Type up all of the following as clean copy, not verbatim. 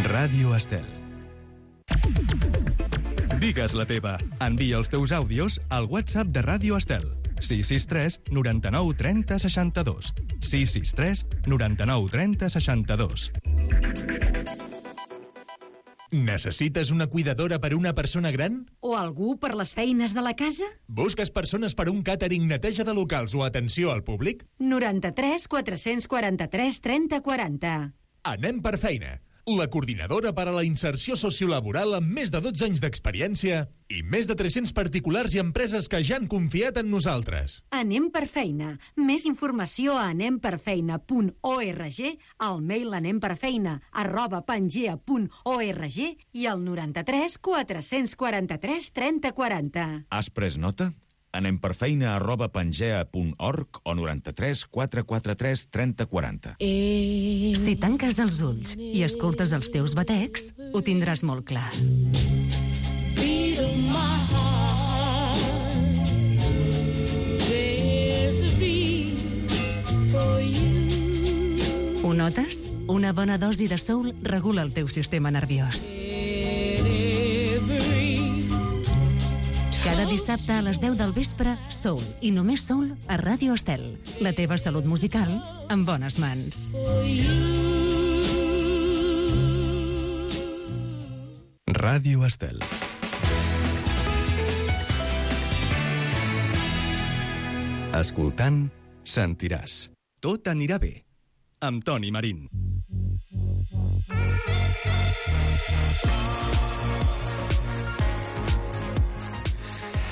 Ràdio Estel. Digues la teva. Envia els teus àudios al WhatsApp de Ràdio Estel. 663 99 30 62. 663 99 30 62. Necessites una cuidadora per una persona gran? O algú per les feines de la casa? Busques persones per un càtering, neteja de locals o atenció al públic? 93 443 30 40. Anem per feina. La coordinadora per a la inserció sociolaboral amb més de 12 anys d'experiència i més de 300 particulars i empreses que ja han confiat en nosaltres. Anem per feina. Més informació a anemperfeina.org, al mail anemperfeina@pangea.org i al 93 443 30 40. Has pres nota? anemperfeina@pangea.org o 93 443 30 40. Si tanques els ulls i escoltes els teus batecs, ho tindràs molt clar. Ho notes? Una bona dosi de soul regula el teu sistema nerviós. Cada dissabte a les 10 del vespre, Soul, i només Soul, a Ràdio Estel. La teva salut musical en bones mans. Ràdio Estel. Escoltant, sentiràs. Tot anirà bé. Amb Toni Marín.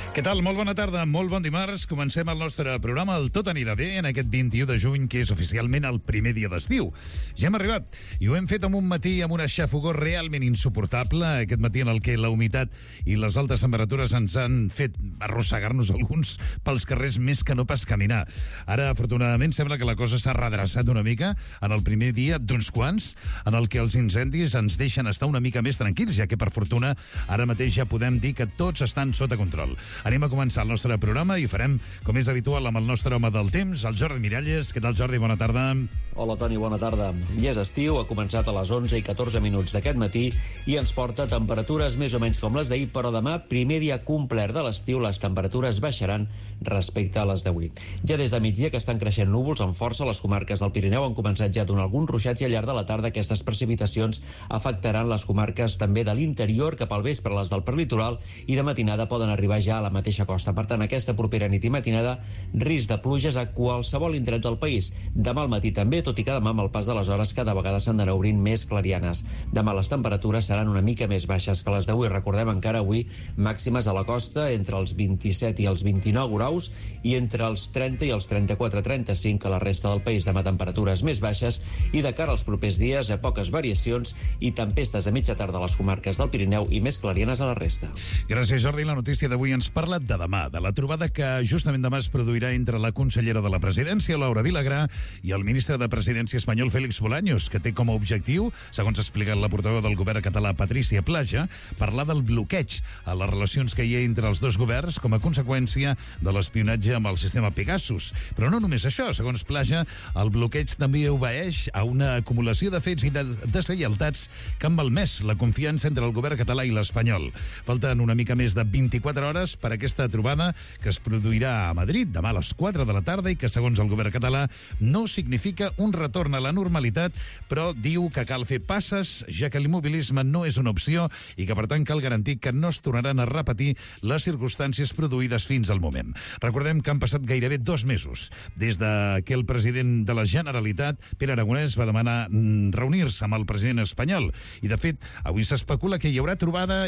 Què tal? Molt bona tarda, molt bon dimarts. Comencem el nostre programa El Tot anirà bé en aquest 21 de juny, que és oficialment el primer dia d'estiu. Ja hem arribat i ho hem fet amb un matí amb una xafogor realment insuportable, aquest matí en el que la humitat i les altes temperatures ens han fet arrossegar-nos alguns pels carrers més que no pas caminar. Ara, afortunadament, sembla que la cosa s'ha redreçat una mica en el primer dia d'uns quants, en el que els incendis ens deixen estar una mica més tranquils, ja que, per fortuna, ara mateix ja podem dir que tots estan sota control. Anem a començar el nostre programa i ho farem, com és habitual, amb el nostre home del temps, el Jordi Miralles. Què tal, Jordi? Bona tarda. Hola, Toni, bona tarda. Ja és estiu, ha començat a les 11 i 14 minuts d'aquest matí i ens porta temperatures més o menys com les d'ahir, però demà, primer dia complet de l'estiu, les temperatures baixaran respecte a les d'avui. Ja des de migdia que estan creixent núvols amb força, les comarques del Pirineu han començat ja a donar alguns ruixats i al llarg de la tarda aquestes precipitacions afectaran les comarques també de l'interior, cap al vespre les del prelitoral, i de matinada poden arribar ja a la mateixa costa. Per tant, aquesta propera nit i matinada, risc de pluges a qualsevol indret del país. Demà al matí també, tot i que demà amb el pas de les hores cada vegada s'han d'anar obrint més clarianes. Demà les temperatures seran una mica més baixes que les d'avui. Recordem encara avui màximes a la costa entre els 27 i els 29 graus i entre els 30 i els 34-35 a la resta del país. Demà temperatures més baixes i de cara als propers dies a poques variacions i tempestes a mitja tarda a les comarques del Pirineu i més clarianes a la resta. Gràcies, Jordi. La notícia d'avui ens parla de demà, de la trobada que justament demà es produirà entre la consellera de la Presidència, Laura Vilagrà, i el ministre de Presidència espanyol, Félix Bolaños, que té com a objectiu, segons ha explicat la portaveu del govern català, Patrícia Plaja, parlar del bloqueig a les relacions que hi ha entre els dos governs com a conseqüència de l'espionatge amb el sistema Pegasus. Però no només això, segons Plaja, el bloqueig també obeeix a una acumulació de fets i de deslleialtats que han malmès la confiança entre el govern català i l'espanyol. Falten una mica més de 24 hores per aquesta trobada que es produirà a Madrid demà a les 4 de la tarda i que, segons el govern català, no significa un retorn a la normalitat, però diu que cal fer passes, ja que l'immobilisme no és una opció i que, per tant, cal garantir que no es tornaran a repetir les circumstàncies produïdes fins al moment. Recordem que han passat gairebé 2 mesos des de que el president de la Generalitat, Pere Aragonès, va demanar reunir-se amb el president espanyol. I, de fet, avui s'especula que hi haurà trobada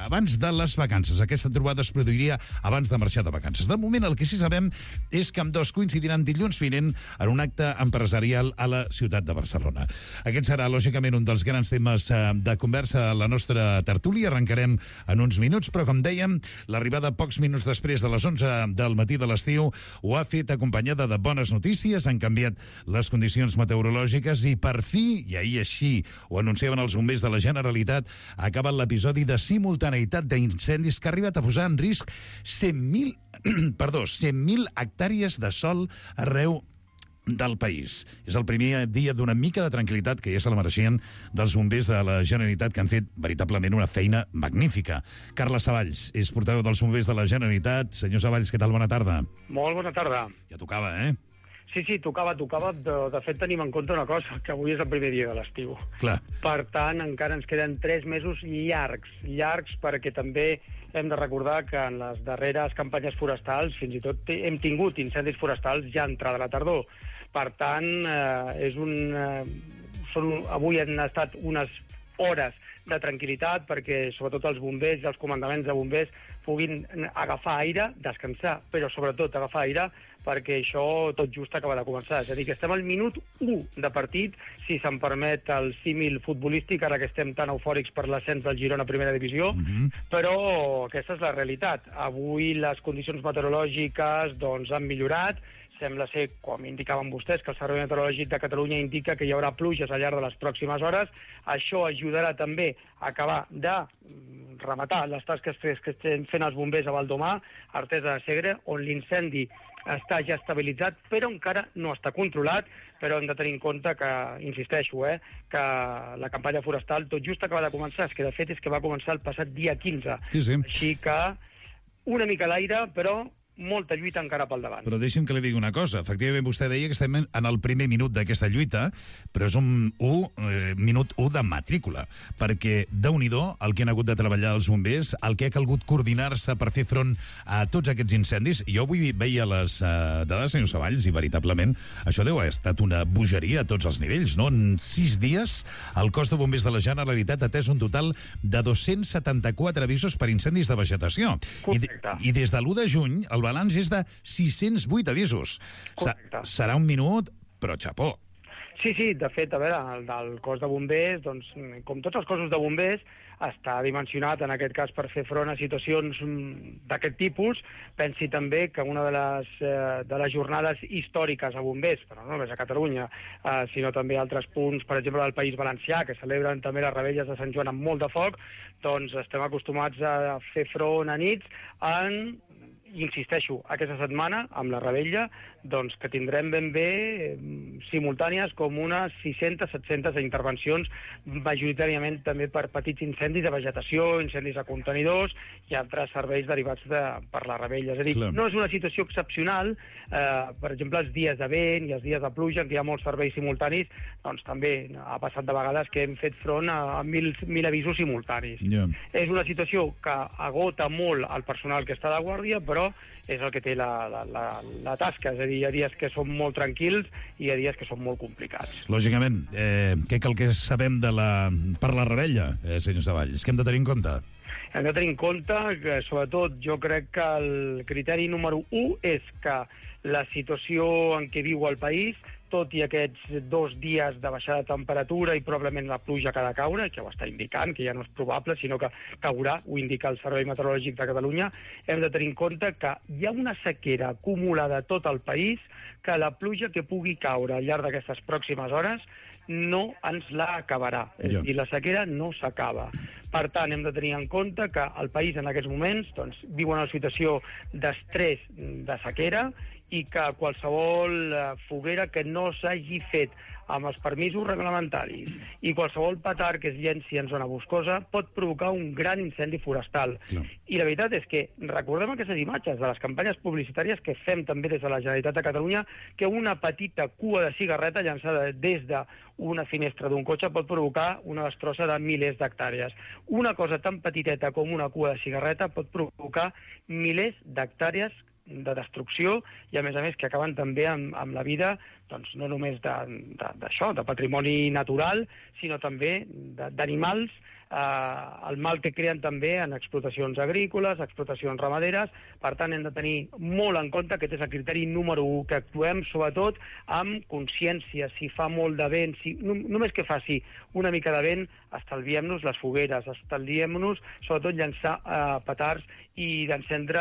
abans de les vacances. Aquesta trobada es produiria abans de marxar de vacances. De moment, el que sí sabem és que ambdós coincidiran dilluns vinent en un acte empresarial a la ciutat de Barcelona. Aquest serà, lògicament, un dels grans temes de conversa a la nostra tertúlia. Arrencarem en uns minuts, però, com dèiem, l'arribada pocs minuts després de les 11 del matí de l'estiu ho ha fet acompanyada de bones notícies. Han canviat les condicions meteorològiques i, per fi, i ahir així ho anunciaven els bombers de la Generalitat, ha acabat l'episodi de simultaneïtat d'incendis que ha arribat a posar en risc 100.000 hectàrees de sòl arreu del país. És el primer dia d'una mica de tranquil·litat que ja se la mereixien dels bombers de la Generalitat, que han fet veritablement una feina magnífica. Carles Savalls és portaveu dels bombers de la Generalitat. Senyor Savalls, què tal? Bona tarda. Molt bona tarda. Ja tocava, eh? Sí, tocava. De fet, tenim en compte una cosa, que avui és el primer dia de l'estiu. Clar. Per tant, encara ens queden 3 mesos llargs, perquè també hem de recordar que en les darreres campanyes forestals, fins i tot hem tingut incendis forestals ja entrada la tardor. Per tant, avui han estat unes hores de tranquil·litat perquè sobretot els bombers i els comandaments de bombers puguin agafar aire, descansar, però sobretot agafar aire perquè això tot just acaba de començar. És a dir, que estem al minut 1 de partit, si se'n permet el símil futbolístic, ara que estem tan eufòrics per l'ascens del Girona a primera divisió, però aquesta és la realitat. Avui les condicions meteorològiques han millorat. Sembla ser, com indicaven vostès, que el Servei Meteorològic de Catalunya indica que hi haurà pluges al llarg de les pròximes hores. Això ajudarà també a acabar de rematar les tasques que estem fent els bombers a Valdomar, Artesa de Segre, on l'incendi està ja estabilitzat, però encara no està controlat, però hem de tenir en compte que, insisteixo, que la campanya forestal tot just acaba de començar, és que de fet és que va començar el passat dia 15. Sí. Així que una mica d'aire, però molta lluita encara pel davant. Però deixi'm que li digui una cosa. Efectivament, vostè deia que estem en el primer minut d'aquesta lluita, però és un minut 1 de matrícula, perquè déu-n'hi-do el que han hagut de treballar els bombers, el que ha calgut coordinar-se per fer front a tots aquests incendis. Jo avui veia les dades, senyor Savalls, i veritablement això deu haver estat una bogeria a tots els nivells, no? En 6 dies, el cos de bombers de la Generalitat ha atès un total de 274 avisos per incendis de vegetació. I des de l'1 de juny, el balanç és de 608 avisos. Serà un minut, però xapó. Sí, de fet, a veure, el cos de bombers, com tots els cossos de bombers, està dimensionat, en aquest cas, per fer front a situacions d'aquest tipus. Pensi també que una de les jornades històriques a bombers, però no només a Catalunya, sinó també a altres punts, per exemple, del País Valencià, que celebren també les revetlles de Sant Joan amb molt de foc, doncs estem acostumats a fer front a nits insisteixo, aquesta setmana, amb la revetlla, que tindrem ben bé simultànies com unes 600-700 intervencions, majoritàriament també per petits incendis de vegetació, incendis a contenidors i altres serveis derivats per la revetlla. És a dir, no és una situació excepcional, per exemple, els dies de vent i els dies de pluja, en què hi ha molts serveis simultanis, també ha passat de vegades que hem fet front a 1.000 avisos simultanis. És una situació que agota molt el personal que està de guàrdia, però és el que té la tasca. És a dir, hi ha dies que són molt tranquils i hi ha dies que són molt complicats. Lògicament, què cal que sabem per la revetlla, senyor Savalls? Què hem de tenir en compte? Hem de tenir en compte que, sobretot, jo crec que el criteri número 1 és que la situació en què viu el país, tot i aquests 2 dies de baixada de temperatura i probablement la pluja que ha de caure, que ho està indicant, que ja no és probable, sinó que caurà, ho indica el Servei Meteorològic de Catalunya, hem de tenir en compte que hi ha una sequera acumulada a tot el país, que la pluja que pugui caure al llarg d'aquestes pròximes hores no ens la acabarà. És a dir, la sequera no s'acaba. Per tant, hem de tenir en compte que el país en aquests moments viu en una situació d'estrès de sequera i que qualsevol foguera que no s'hagi fet amb els permisos reglamentaris i qualsevol petard que es llenci en zona boscosa pot provocar un gran incendi forestal. I la veritat és que recordem aquestes imatges de les campanyes publicitàries que fem també des de la Generalitat de Catalunya, que una petita cua de cigarreta llançada des d'una finestra d'un cotxe pot provocar una destrossa de milers d'hectàrees. Una cosa tan petiteta com una cua de cigarreta pot provocar milers d'hectàrees de destrucció i, a més, que acaben també amb la vida, no només d'això, de patrimoni natural, sinó també d'animals, el mal que creen també en explotacions agrícoles, explotacions ramaderes. Per tant, hem de tenir molt en compte que aquest és el criteri número 1, que actuem sobretot amb consciència. Si fa molt de vent, només que faci una mica de vent, estalviem-nos les fogueres, estalviem-nos sobretot llançar petards i d'encendre,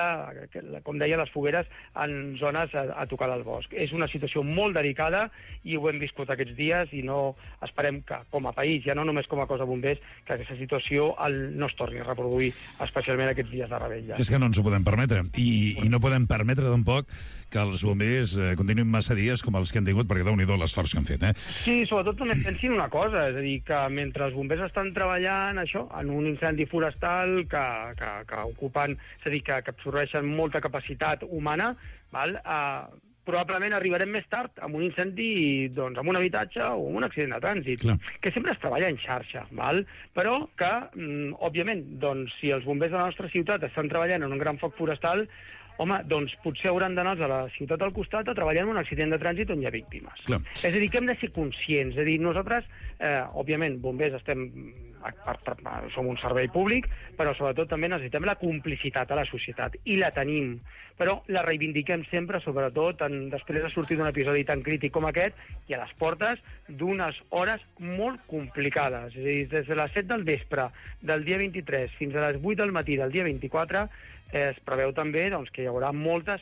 com deia, les fogueres en zones a tocar del bosc. És una situació molt delicada i ho hem viscut aquests dies i no esperem que, com a país, ja no només com a cos de bombers, que aquesta situació no es torni a reproduir, especialment aquests dies de rebella. És que no ens ho podem permetre. I no podem permetre tampoc que els bombers continuïn massa dies com els que han tingut, perquè Déu-n'hi-do l'esforç que han fet, Sí, sobretot també pensin una cosa, és a dir, que mentre els bombers estan treballant això, en un incendi forestal que ocupen, és a dir, que absorbeixen molta capacitat humana, val? Probablement arribarem més tard amb un incendi, doncs, amb un habitatge o amb un accident de trànsit, que sempre es treballa en xarxa, val? Però que, òbviament, doncs, si els bombers de la nostra ciutat estan treballant en un gran foc forestal, home, doncs potser hauran d'anar a la ciutat al costat a treballar en un accident de trànsit on hi ha víctimes. Clar. És a dir, que hem de ser conscients. És a dir, nosaltres, òbviament, bombers som un servei públic, però sobretot també necessitem la complicitat a la societat, i la tenim. Però la reivindiquem sempre, sobretot després de sortir d'un episodi tan crític com aquest, i a les portes d'unes hores molt complicades. És a dir, des de les 7 del vespre del dia 23 fins a les 8 del matí del dia 24, es preveu també doncs, que hi haurà moltes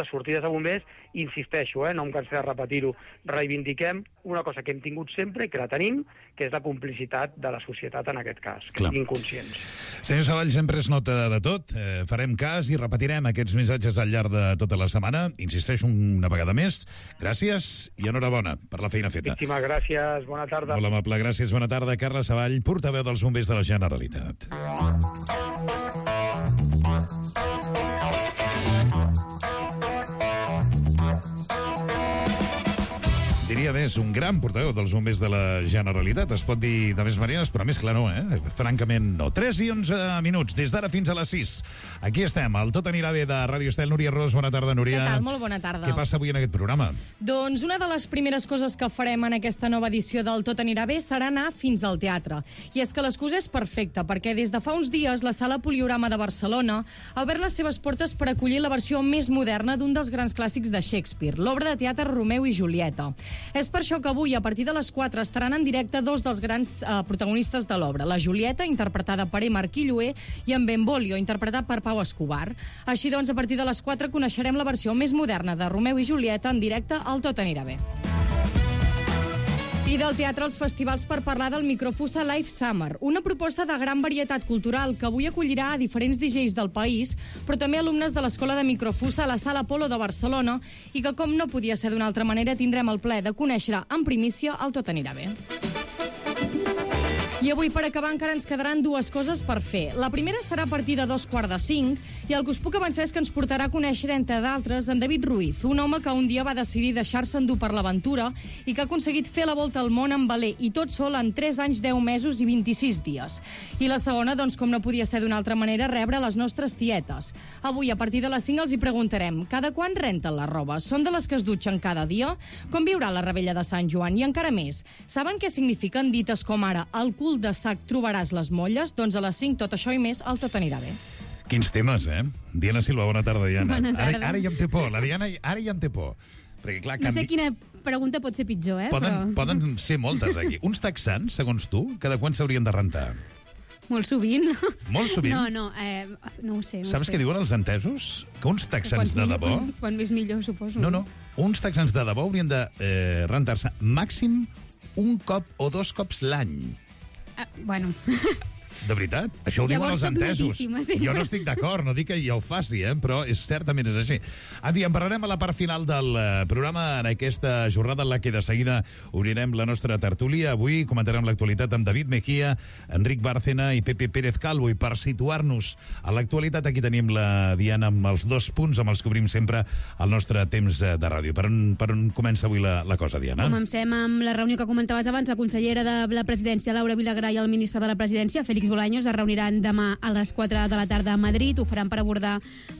sortides de bombers. Insisteixo, no em cansaré de repetir-ho, reivindiquem una cosa que hem tingut sempre i que la tenim, que és la complicitat de la societat en aquest cas, que siguin conscients. Senyor Savall, sempre es nota de tot. Farem cas i repetirem aquests missatges al llarg de tota la setmana. Insisteixo una vegada més. Gràcies i enhorabona per la feina feta. Moltíssimes gràcies, bona tarda. Molt amable, gràcies, bona tarda. Carles Savall, portaveu dels bombers de la Generalitat. Diria més, un gran portaveu dels bombers de la Generalitat. Es pot dir de més maneres, però més clar no, Francament no. 3 i 11 minuts, des d'ara fins a les 6. Aquí estem, el Tot anirà bé de Ràdio Estel. Núria Ros, bona tarda, Núria. Què tal? Molt bona tarda. Què passa avui en aquest programa? Doncs una de les primeres coses que farem en aquesta nova edició del Tot anirà bé serà anar fins al teatre. I és que l'excusa és perfecta, perquè des de fa uns dies la Sala Poliorama de Barcelona ha obert les seves portes per acollir la versió més moderna d'un dels grans clàssics de Shakespeare, l'obra de teatre Romeu i Julieta. És per això que avui, a partir de les 4, estaran en directe dos dels grans protagonistes de l'obra, la Julieta, interpretada per Emma Arquilloé, i en Benvolio, interpretat per Pau Escobar. Així doncs, a partir de les 4 coneixerem la versió més moderna de Romeu i Julieta en directe al Tot anirà bé. I del teatre als festivals per parlar del Microfusa Live Summer, una proposta de gran varietat cultural que avui acollirà a diferents DJs del país, però també alumnes de l'Escola de Microfusa a la Sala Apolo de Barcelona, i que, com no podia ser d'una altra manera, tindrem el plaer de conèixer en primícia el Tot anirà bé. I avui, per acabar, encara ens quedaran dues coses per fer. La primera serà a partir de 4:45, i el que us puc avançar és que ens portarà a conèixer, entre d'altres, en David Ruiz, un home que un dia va decidir deixar-se endur per l'aventura i que ha aconseguit fer la volta al món en veler, i tot sol en 3 anys, 10 mesos i 26 dies. I la segona, doncs, com no podia ser d'una altra manera, rebre les nostres tietes. Avui, a partir de les 5, els hi preguntarem: cada quan renten la roba? Són de les que es dutxen cada dia? Com viurà la Rebella de Sant Joan? I encara més, saben què signifiquen dites com ara "al cul de sac trobaràs les molles"? Doncs a les 5 tot això i més al Tot anirà bé. Quins temes, Diana Silva, bona tarda, Diana. Bona tarda. Ara ja em té por, la Diana ara ja em té por. Perquè, clar, no sé quina pregunta pot ser pitjor, Poden ser moltes aquí. Uns texans, segons tu, cada quan s'haurien de rentar? Molt sovint. Molt sovint? No ho sé. Saps què diuen els entesos? Que uns texans de debò... Quan més millor, suposo. No, uns texans de debò haurien de rentar-se màxim un cop o 2 cops l'any. Bueno... De veritat? Això ho diuen els entesos. Sí, jo no estic d'acord, no dic que ja ho faci, però certament és així. En fi, en parlarem a la part final del programa, en aquesta jornada en la que de seguida obrirem la nostra tertúlia. Avui comentarem l'actualitat amb David Mejía, Enric Bárcena i Pepe Pérez Calvo. I per situar-nos a l'actualitat, aquí tenim la Diana amb els 2 punts amb els que obrim sempre el nostre temps de ràdio. Per on comença avui la cosa, Diana? Comencem amb la reunió que comentaves abans. La consellera de la Presidència, Laura Vilagrà, i el ministre de la Presidència, Félix Bolaños, es reuniran demà a les 4 de la tarda a Madrid. Ho faran per abordar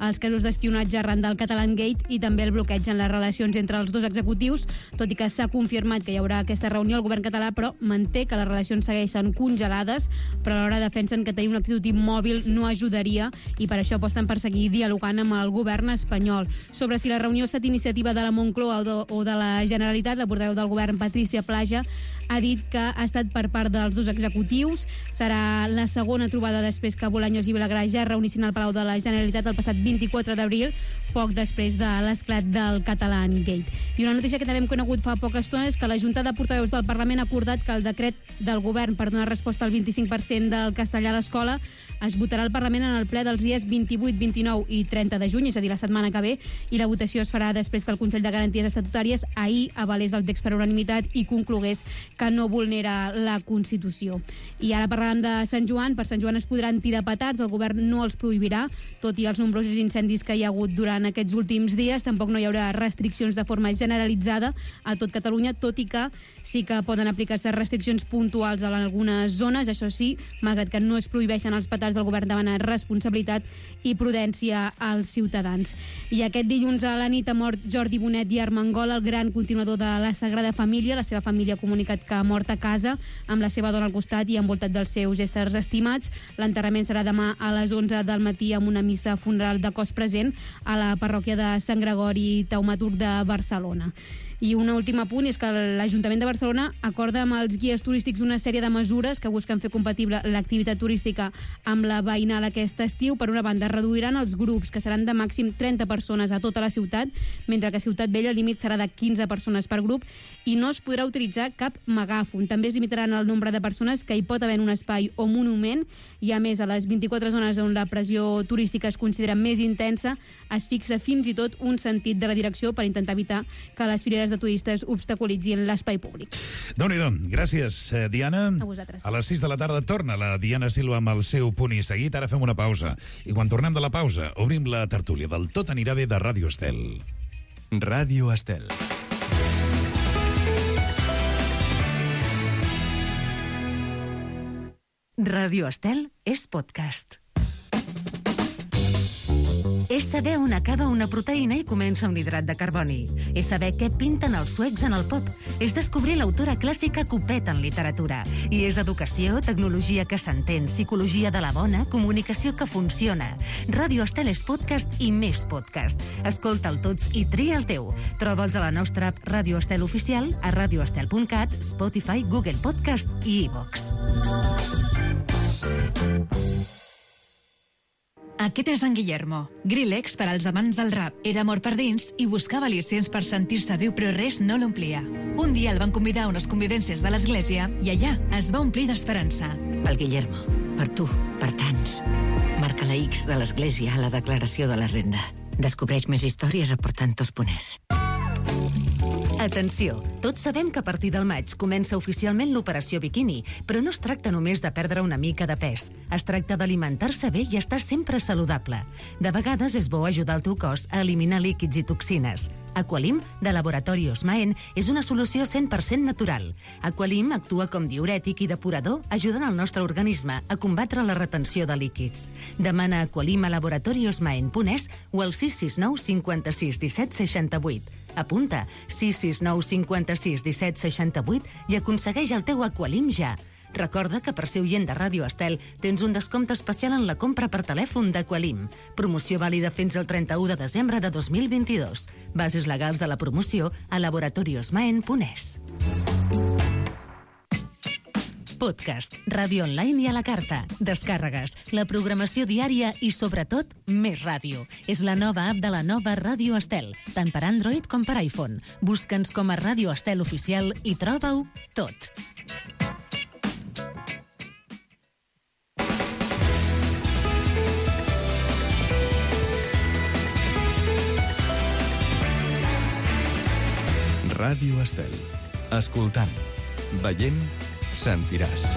els casos d'espionatge arran del Catalan Gate i també el bloqueig en les relacions entre els dos executius. Tot i que s'ha confirmat que hi haurà aquesta reunió, el govern català però manté que les relacions segueixen congelades, però alhora defensen que tenir una actitud immòbil no ajudaria i per això aposten per seguir dialogant amb el govern espanyol. Sobre si la reunió ha estat iniciativa de la Moncloa o de la Generalitat, la portaveu del govern, Patricia Plaja, ha dit que ha estat per part dels dos executius. Serà la segona trobada després que Bolaños i Vilagrà ja es reunissin al Palau de la Generalitat el passat 24 d'abril, poc després de l'esclat del Catalan Gate. I una notícia que també hem conegut fa poca estona és que la Junta de Portaveus del Parlament ha acordat que el decret del govern per donar resposta al 25% del castellà a l'escola es votarà al Parlament en el ple dels dies 28, 29 i 30 de juny, és a dir, la setmana que ve, i la votació es farà després que el Consell de Garanties Estatutàries ahir avalés el text per unanimitat i conclogués que no vulnera la Constitució. I ara parlàvem de Sant Joan. Per Sant Joan es podran tirar petards, el govern no els prohibirà, tot i els nombrosos incendis que hi ha hagut durant aquests últims dies. Tampoc no hi haurà restriccions de forma generalitzada a tot Catalunya, tot i que sí que poden aplicar-se restriccions puntuals en algunes zones. Això sí, malgrat que no es prohibeixen els petards, del govern demana responsabilitat i prudència als ciutadans. I aquest dilluns a la nit ha mort Jordi Bonet i Armengol, el gran continuador de la Sagrada Família. La seva família ha comunicat que ha mort a casa amb la seva dona al costat i envoltat dels seus éssers estimats. L'enterrament serà demà a les 11 del matí amb una missa funeral de cos present a la parròquia de Sant Gregori Taumaturg de Barcelona. I un últim apunt és que l'Ajuntament de Barcelona acorda amb els guies turístics una sèrie de mesures que busquen fer compatible l'activitat turística amb la veïnal aquest estiu. Per una banda, reduiran els grups, que seran de màxim 30 persones a tota la ciutat, mentre que a Ciutat Vella el límit serà de 15 persones per grup, i no es podrà utilitzar cap megàfon. També es limitaran el nombre de persones que hi pot haver en un espai o monument, i a més, a les 24 zones on la pressió turística es considera més intensa, es fixa fins i tot un sentit de la direcció per intentar evitar que les fileres de turistes obstaculitzin l'espai públic. Déu-n'hi-do. Gràcies, Diana. A vosaltres. A les 6 de la tarda torna la Diana Silva amb el seu punt i seguit. Ara fem una pausa. I quan tornem de la pausa, obrim la tertúlia del Tot anirà bé de Ràdio Estel. Ràdio Estel. Ràdio Estel és podcast. És saber on acaba una proteïna i comença un hidrat de carboni. És saber què pinten els suecs en el pop. És descobrir l'autora clàssica Copet en literatura. I és educació, tecnologia que s'entén, psicologia de la bona, comunicació que funciona. Ràdio Estel és podcast i més podcast. Escolta'l tots i tria el teu. Troba'ls a la nostra app Ràdio Estel Oficial, a radioestel.cat, Spotify, Google Podcast i iVox. Aquest és en Guillermo, Grillex per als amants del rap. Era mort per dins i buscava al·licients per sentir-se viu, però res no l'omplia. Un dia el van convidar a unes convivències de l'església i allà es va omplir d'esperança. Pel Guillermo, per tu, per tants. Marca la X de l'església a la declaració de la renda. Descobreix més històries aportant tos poners. Atenció, tots sabem que a partir del maig comença oficialment l'operació biquini, però no es tracta només de perdre una mica de pes. Es tracta d'alimentar-se bé i estar sempre saludable. De vegades és bo ajudar el teu cos a eliminar líquids i toxines. Aqualim, de Laboratori Osmaen, és una solució 100% natural. Aqualim actua com diürètic i depurador, ajudant el nostre organisme a combatre la retenció de líquids. Demana Aqualim a laboratoriosmaen.es o al 669 56 17 68. Apunta 669 56 17 68 i aconsegueix el teu Aqualim ja. Recorda que per ser oient de Ràdio Estel tens un descompte especial en la compra per telèfon d'Aqualim. Promoció vàlida fins al 31 de desembre de 2022. Bases legals de la promoció a laboratoriosmaen.es. Podcast, ràdio online i a la carta, descàrregues, la programació diària i, sobretot, més ràdio. És la nova app de la nova Ràdio Estel, tant per Android com per iPhone. Busca'ns com a Ràdio Estel Oficial i troba-ho tot. Ràdio Estel. Escoltant, veient, sentiràs.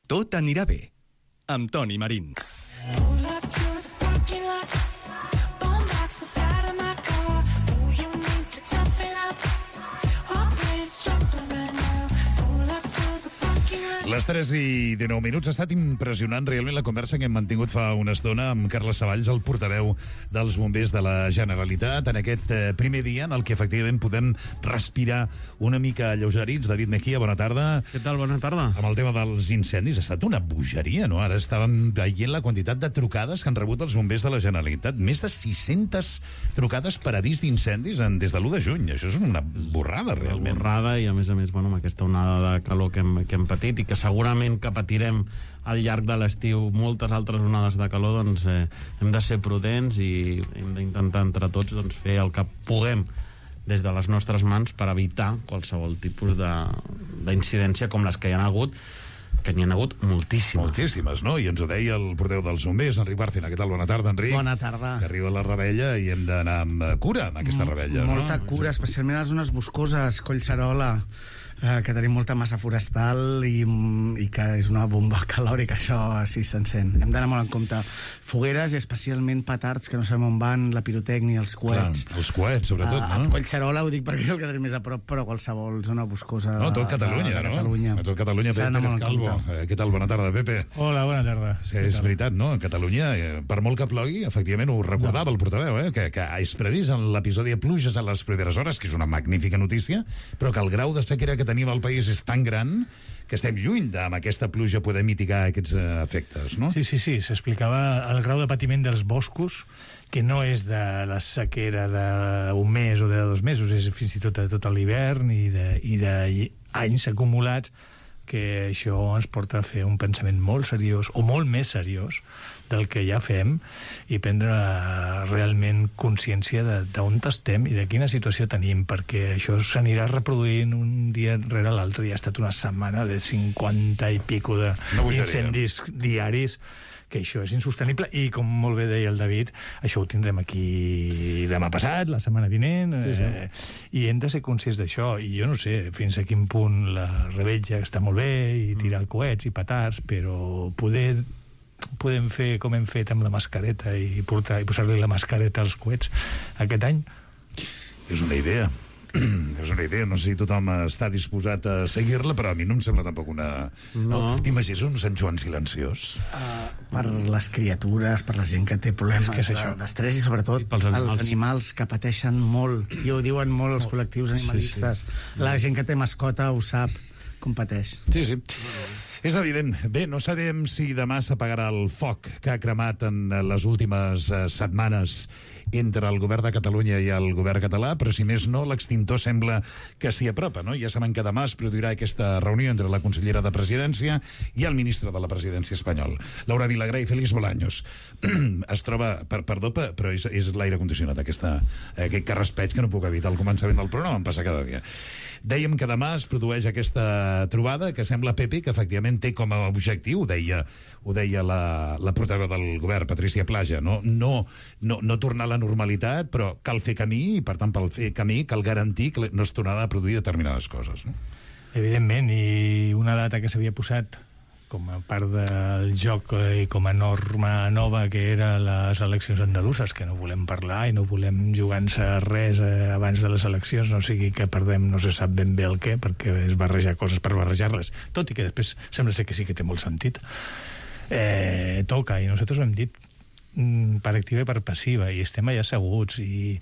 Tot anirà bé, amb Toni Marín. Les 3:19. Ha estat impressionant realment la conversa que hem mantingut fa una estona amb Carles Savalls, el portaveu dels bombers de la Generalitat, en aquest primer dia en el que efectivament podem respirar una mica alleugerits. David Mejía, bona tarda. Què tal? Bona tarda. Amb el tema dels incendis, ha estat una bogeria, no? Ara estàvem veient la quantitat de trucades que han rebut els bombers de la Generalitat. Més de 600 trucades per avís d'incendis des de l'1 de juny. Això és una borrada, realment. Una borrada i, a més, amb aquesta onada de calor que hem patit i que segurament que patirem al llarg de l'estiu moltes altres onades de calor, doncs hem de ser prudents i hem d'intentar entre tots fer el que puguem des de les nostres mans per evitar qualsevol tipus d'incidència com les que hi ha hagut, que n'hi ha hagut moltíssimes. Moltíssimes, no? I ens ho deia el portaveu dels bombers, Enric Bárcena. Què tal? Bona tarda, Enric. Bona tarda. Que arriba la rebella i hem d'anar amb cura amb aquesta rebella, no? Molta cura, especialment a les zones boscoses, Collserola, que tenim molta massa forestal i que és una bomba calòrica, això sí se'n sent. Hem d'anar molt en compte. Fogueres i especialment petards, que no sabem on van, la pirotècnia, els coets. Clar, els coets, sobretot, no? A Collserola ho dic perquè és el que tenim més a prop, però qualsevol zona boscosa... No, tot Catalunya, no? A tot Catalunya, Pepe Pérez Calvo. Què tal? Bona tarda, Pepe. Hola, bona tarda. Sí, és veritat, no? A Catalunya, per molt que plogui, efectivament ho recordava el portaveu, que és previst en l'episodi de pluges a les primeres hores, que és una magnífica notícia, però que el grau de sequera que tenim al país és tan gran que estem lluny amb aquesta pluja poder mitigar aquests efectes, no? Sí, s'explicava el grau de patiment dels boscos, que no és de la sequera d'un mes o de 2 mesos, és fins i tot de tot l'hivern i d'anys acumulats, que això ens porta a fer un pensament molt seriós, o molt més seriós, del que ja fem, i prendre realment consciència d'on estem i de quina situació tenim, perquè això s'anirà reproduint un dia rere l'altre. Ja ha estat una setmana de 50 i pico d'incendis diaris, que això és insostenible, i com molt bé deia el David, això ho tindrem aquí demà passat, la setmana vinent, i hem de ser conscients d'això, i jo no sé fins a quin punt la rebella està molt bé, i tirar coets i petards, però podem fer com hem fet amb la mascareta i posar-li la mascareta als coets aquest any. És una idea. És una idea, no sé si tothom està disposat a seguir-la, però a mi no em sembla tampoc una... No. T'imagines un Sant Joan silenciós? Per les criatures, per la gent que té problemes d'estrès i sobretot els animals que pateixen molt, i ho diuen molt els col·lectius animalistes. La gent que té mascota ho sap, com pateix. Sí. És evident. Bé, no sabem si demà s'apagarà el foc que ha cremat en les últimes setmanes entre el govern de Catalunya i el govern català, però si més no, l'extintor sembla que s'hi apropa, no? Ja saben que demà es produirà aquesta reunió entre la consellera de Presidència i el ministre de la Presidència espanyol, Laura Vilagrà i Félix Bolaños. Es troba, perdó, però és l'aire condicionat, aquest carraspeig que no puc evitar al començament del programa, em passa cada dia. Dèiem que demà es produeix aquesta trobada que sembla, Pepe, que efectivament té com a objectiu, ho deia la portaveu del govern, Patricia Plaja, no tornar a la normalitat, però cal fer camí, i per tant, pel fer camí cal garantir que no es tornaran a produir determinades coses, no? Evidentment, i una data que s'havia posat com a part del joc i com a norma nova, que era les eleccions andaluses, que no volem parlar i no volem jugar-nos res abans de les eleccions, no sigui que perdem no se sap ben bé el què, perquè és barrejar coses per barrejar-les, tot i que després sembla ser que sí que té molt sentit. Toca, i nosaltres ho hem dit per activa i per passiva, i estem allà asseguts i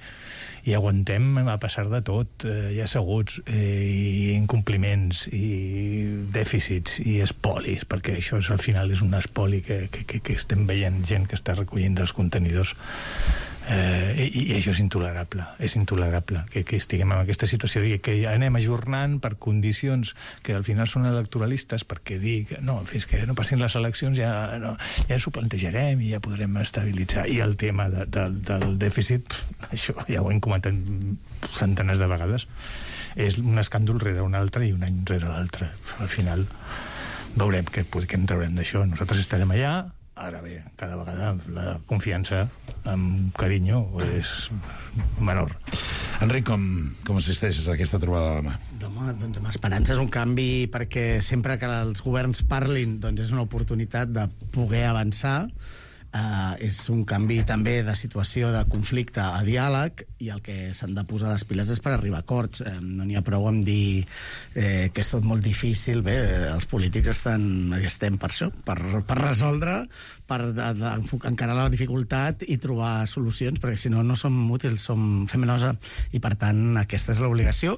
aguantem a passar de tot, allà asseguts, i incompliments i dèficits i espolis, perquè això al final és un espoli que estem veient gent que està recollint dels contenidors, i això és intolerable que estiguem en aquesta situació i que anem ajornant per condicions que al final són electoralistes, perquè dic no, fins que no passin les eleccions ja ens ho plantejarem i ja podrem estabilitzar. I el tema del dèficit, això ja ho hem comentat centenars de vegades, és un escàndol rere un altre i un any rere l'altre. Al final veurem què en traurem d'això. Nosaltres estarem allà. Ara bé, cada vegada la confiança amb carinyo és menor. Enric, com assisteixes a aquesta trobada demà? Doncs amb esperança és un canvi, perquè sempre que els governs parlin doncs és una oportunitat de poder avançar, és un canvi també de situació de conflicte a diàleg, i el que s'han de posar les piles és per arribar a acords. No n'hi ha prou amb dir que és tot molt difícil. Bé, els polítics estem per això, per resoldre, per encarar la dificultat i trobar solucions, perquè si no, no som útils, fem nosa, i per tant aquesta és l'obligació.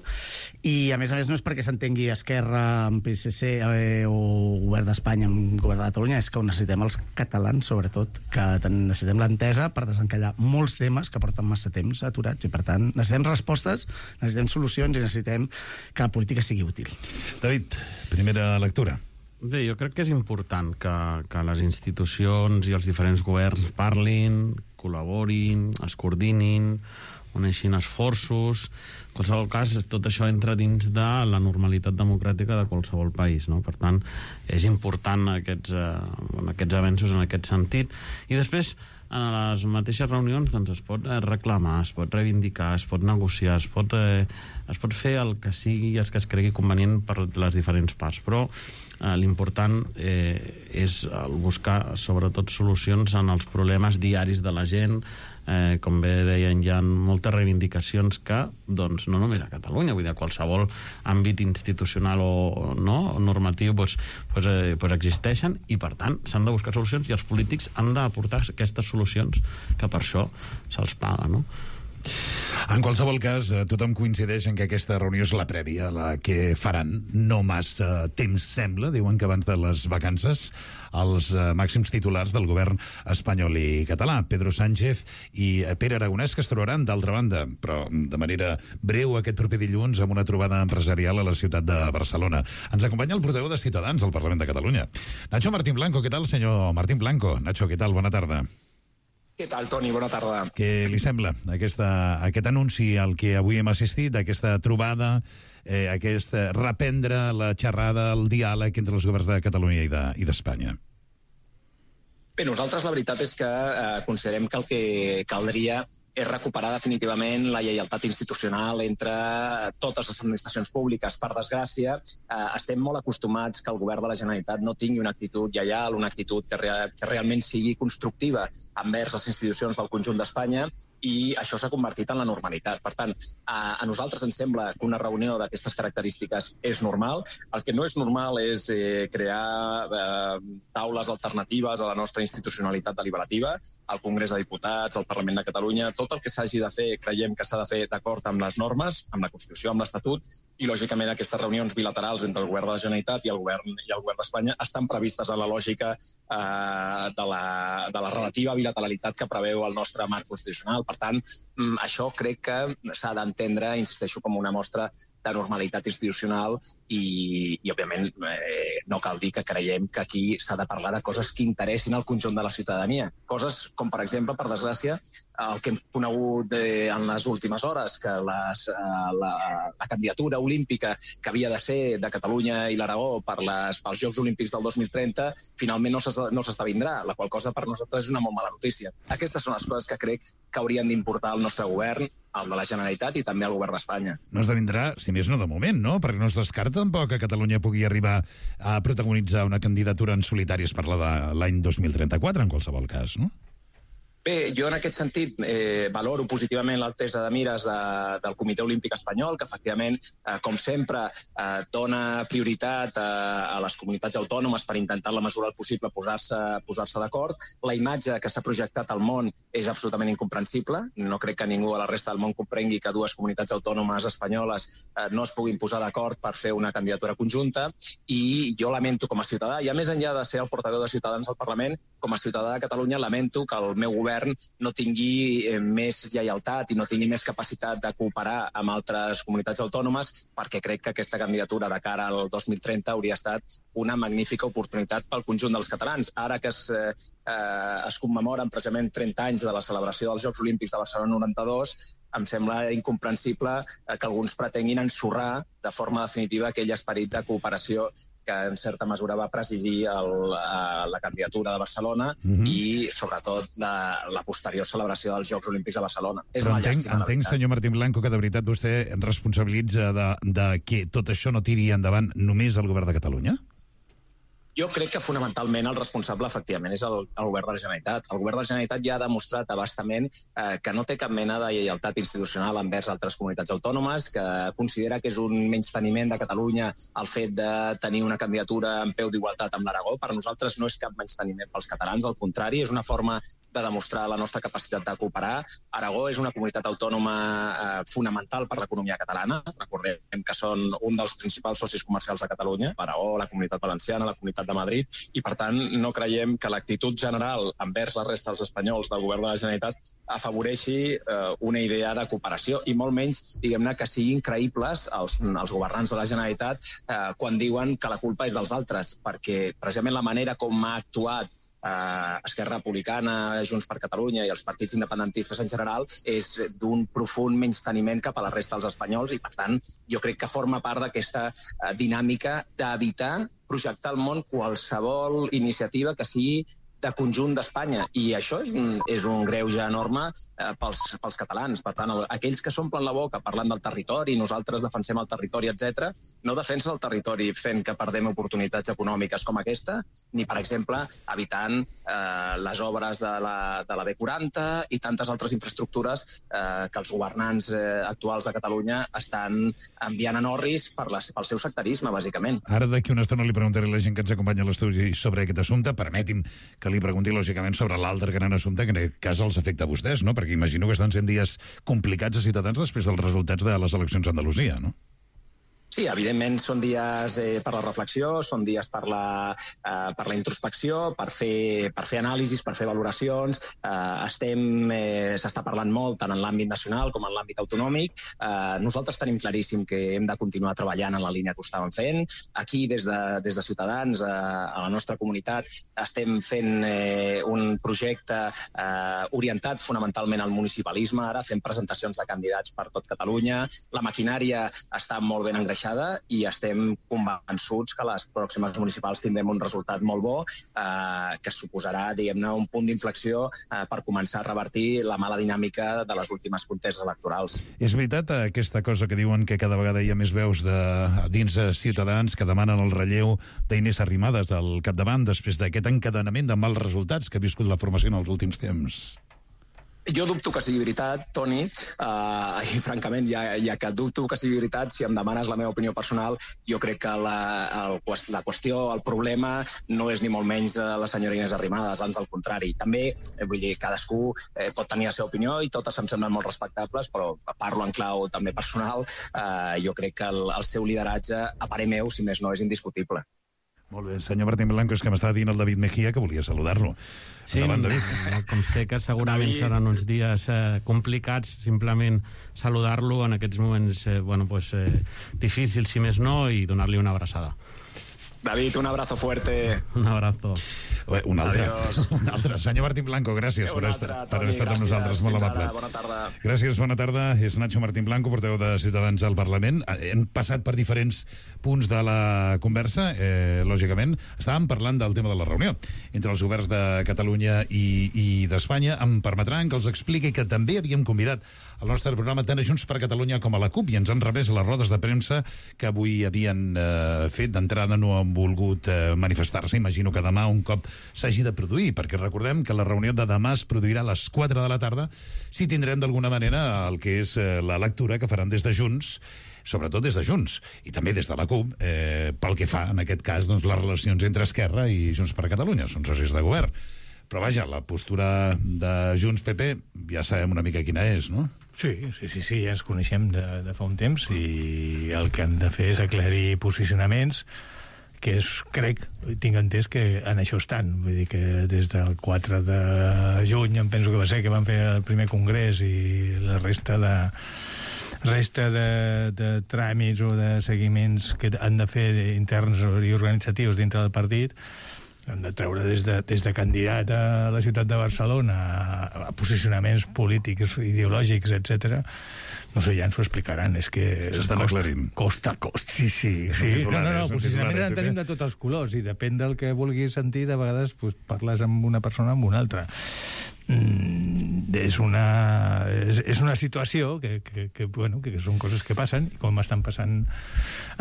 I a més no és perquè s'entengui Esquerra amb PSC o Govern d'Espanya amb Govern de Catalunya, és que ho necessitem els catalans, sobretot, que necessitem l'entesa per desencallar molts temes que porten massa temps aturats, i per tant necessitem respostes, necessitem solucions i necessitem que la política sigui útil. David, primera lectura. Bé, jo crec que és important que les institucions i els diferents governs parlin, col·laborin, es coordinin, uneixin esforços. En qualsevol cas, tot això entra dins de la normalitat democràtica de qualsevol país, no? Per tant, és important aquests avenços en aquest sentit. I després, en les mateixes reunions, doncs, es pot reclamar, es pot reivindicar, es pot negociar, es pot fer el que sigui i el que es cregui convenient per les diferents parts. Però l'important és buscar, sobretot, solucions en els problemes diaris de la gent. Com bé deien, hi ha moltes reivindicacions que, doncs, no només a Catalunya, vull dir, a qualsevol àmbit institucional o normatiu existeixen, i per tant s'han de buscar solucions, i els polítics han d'aportar aquestes solucions, que per això se'ls paga, no? En qualsevol cas, tothom coincideix en que aquesta reunió és la prèvia, la que faran no massa temps, sembla, diuen que abans de les vacances, els màxims titulars del govern espanyol i català, Pedro Sánchez i Pere Aragonès, que es trobaran, d'altra banda, però de manera breu, aquest proper dilluns, amb una trobada empresarial a la ciutat de Barcelona. Ens acompanya el portaveu de Ciutadans al Parlament de Catalunya, Nacho Martín Blanco. Què tal, senyor Martín Blanco? Nacho, què tal? Bona tarda. Què tal, Toni? Bona tarda. Què li sembla aquest anunci al que avui hem assistit, aquesta trobada, aquest reprendre la xerrada, el diàleg entre els governs de Catalunya i d'Espanya? Bé, nosaltres la veritat és que considerem que el que caldria és recuperar definitivament la lleialtat institucional entre totes les administracions públiques. Per desgràcia, estem molt acostumats que el govern de la Generalitat no tingui una actitud lleial, una actitud que realment sigui constructiva envers les institucions del conjunt d'Espanya, i això s'ha convertit en la normalitat. Per tant, a nosaltres ens sembla que una reunió d'aquestes característiques és normal. El que no és normal és crear taules alternatives a la nostra institucionalitat deliberativa, al Congrés de Diputats, al Parlament de Catalunya. Tot el que s'hagi de fer, creiem que s'ha de fer d'acord amb les normes, amb la Constitució, amb l'Estatut, i lògicament aquestes reunions bilaterals entre el govern de la Generalitat i el govern d'Espanya estan previstes a la lògica de la relativa bilateralitat que preveu el nostre marc constitucional. Per tant, això crec que s'ha d'entendre, insisteixo, com una mostra de normalitat institucional i òbviament, no cal dir que creiem que aquí s'ha de parlar de coses que interessin al conjunt de la ciutadania. Coses com, per exemple, per desgràcia, el que hem conegut en les últimes hores, que la candidatura olímpica que havia de ser de Catalunya i l'Aragó pels Jocs Olímpics del 2030 finalment no s'esdevindrà, la qual cosa per nosaltres és una molt mala notícia. Aquestes són les coses que crec que haurien d'importar al nostre govern, al de la Generalitat i també al govern d'Espanya. No esdevindrà, si més no de moment, no? Perquè no es descarta tampoc que Catalunya pugui arribar a protagonitzar una candidatura en solitari, es parla de l'any 2034, en qualsevol cas, no? Bé, jo en aquest sentit valoro positivament l'altesa de mires del Comitè Olímpic Espanyol, que efectivament, com sempre, dona prioritat a les comunitats autònomes per intentar en la mesura del possible posar-se d'acord. La imatge que s'ha projectat al món és absolutament incomprensible. No crec que ningú a la resta del món comprengui que dues comunitats autònomes espanyoles no es puguin posar d'acord per fer una candidatura conjunta, i jo lamento com a ciutadà, i a més enllà de ser el portaveu de Ciutadans al Parlament, com a ciutadà de Catalunya lamento que el meu govern no tingui més lleialtat i no tingui més capacitat de cooperar amb altres comunitats autònomes, perquè crec que aquesta candidatura de cara al 2030 hauria estat una magnífica oportunitat pel conjunt dels catalans. Ara que es commemoren precisament 30 anys de la celebració dels Jocs Olímpics de Barcelona 92, em sembla incomprensible que alguns pretenguin ensorrar de forma definitiva aquell esperit de cooperació que en certa mesura va presidir la candidatura de Barcelona i, sobretot, la posterior celebració dels Jocs Olímpics de Barcelona. És una llàstima, la veritat. Senyor Martín Blanco, que de veritat vostè responsabilitza de que tot això no tiri endavant només el govern de Catalunya? Jo crec que fonamentalment el responsable, efectivament, és el govern de la Generalitat. El govern de la Generalitat ja ha demostrat abastament que no té cap mena de lleialtat institucional envers altres comunitats autònomes, que considera que és un menysteniment de Catalunya el fet de tenir una candidatura en peu d'igualtat amb l'Aragó. Per nosaltres no és cap menysteniment pels catalans, al contrari, és una forma de demostrar la nostra capacitat de cooperar. Aragó és una comunitat autònoma fonamental per l'economia catalana. Recordem que són un dels principals socis comercials de Catalunya, Aragó, la Comunitat Valenciana, la Comunitat de Madrid, i per tant no creiem que l'actitud general envers la resta dels espanyols del govern de la Generalitat afavoreixi una idea de cooperació, i molt menys, diguem-ne, que siguin creïbles els governants de la Generalitat quan diuen que la culpa és dels altres, perquè precisament la manera com ha actuat Esquerra Republicana, Junts per Catalunya i els partits independentistes en general és d'un profund menysteniment cap a la resta dels espanyols, i per tant jo crec que forma part d'aquesta dinàmica d'evitar projectar al món qualsevol iniciativa que sigui de conjunt d'Espanya, i això és un greuge enorme pels catalans. Per tant, aquells que s'omplen la boca parlant del territori, nosaltres defensem el territori, etc., no defensen el territori fent que perdem oportunitats econòmiques com aquesta, ni, per exemple, evitant les obres de la B40 i tantes altres infraestructures que els governants actuals de Catalunya estan enviant en orris pel seu sectarisme, bàsicament. Ara, d'aquí una estona, li preguntaré a la gent que ens acompanya a l'estudi sobre aquest assumpte. Permeti'm que li pregunti, lògicament, sobre l'altre gran assumpte, que en aquest cas els afecta a vostès, no? Perquè imagino que estan sent dies complicats a Ciutadans després dels resultats de les eleccions a Andalusia, no? Sí, evidentment són dies per la reflexió, són dies per la introspecció, per fer anàlisis, per fer valoracions. S'està parlant molt tant en l'àmbit nacional com en l'àmbit autonòmic. Nosaltres tenim claríssim que hem de continuar treballant en la línia que ho estàvem fent. Aquí, des de Ciutadans, a la nostra comunitat, estem fent un projecte orientat fonamentalment al municipalisme, ara fent presentacions de candidats per tot Catalunya. La maquinària està molt ben engreixada i estem convençuts que les pròximes municipals tindrem un resultat molt bo, que suposarà, diguem-ne, un punt d'inflexió per començar a revertir la mala dinàmica de les últimes contestes electorals. És veritat aquesta cosa que diuen que cada vegada hi ha més veus dins de Ciutadans que demanen el relleu d'Inés Arrimadas al capdavant després d'aquest encadenament de mals resultats que ha viscut la formació en els últims temps? Jo dubto que sigui veritat, Toni, i francament, ja que dubto que sigui veritat, si em demanes la meva opinió personal, jo crec que la qüestió, el problema, no és ni molt menys la senyora Inés Arrimadas, ans al contrari. També, vull dir, cadascú pot tenir la seva opinió i totes em semblen molt respectables, però parlo en clau també personal, jo crec que el seu lideratge, a parer meu, si més no, és indiscutible. Molt bé, senyor Martín Blanco, és que m'estava dient el David Mejía que volia saludar-lo. Sí, com sé que segurament seran uns dies complicats, simplement saludar-lo en aquests moments difícils, si més no, i donar-li una abraçada. David, un abrazo fuerte. Un abrazo. Un altre. Senyor Martín Blanco, gràcies per estar amb nosaltres. Molt amable. Bona tarda. Gràcies, bona tarda. És Nacho Martín Blanco, portaveu de Ciutadans al Parlament. Hem passat per diferents punts de la conversa, lògicament. Estàvem parlant del tema de la reunió entre els governs de Catalunya i d'Espanya. Em permetran que els expliqui que també havíem convidat al nostre programa tant a Junts per Catalunya com a la CUP, i ens han remès les rodes de premsa que avui havien fet. D'entrada no han volgut manifestar-se. Imagino que demà un cop s'hagi de produir, perquè recordem que la reunió de demà es produirà a les 4 de la tarda, si tindrem d'alguna manera el que és la lectura que faran des de Junts, sobretot des de Junts, i també des de la CUP, pel que fa, en aquest cas, doncs, les relacions entre Esquerra i Junts per Catalunya. Són socis de govern. Però vaja, la postura de Junts-PP ja sabem una mica quina és, no? Sí, ja ens coneixem de fa un temps, i el que hem de fer és aclarir posicionaments, que crec, tinc entès que en això estan. Vull dir que des del 4 de juny, em penso que va ser, que van fer el primer congrés, i la resta de tràmits o de seguiments que han de fer interns i organitzatius dintre del partit, han de treure des de candidat a la ciutat de Barcelona a posicionaments polítics, ideològics, etc. No sé, ja ens ho explicaran. És que s'estan aclarint. Costa. Sí. No, posicionaments en tenim de tots els colors, i depèn del que vulguis sentir, de vegades parles amb una persona o amb una altra. és una situació que són coses que passen, i com estan passant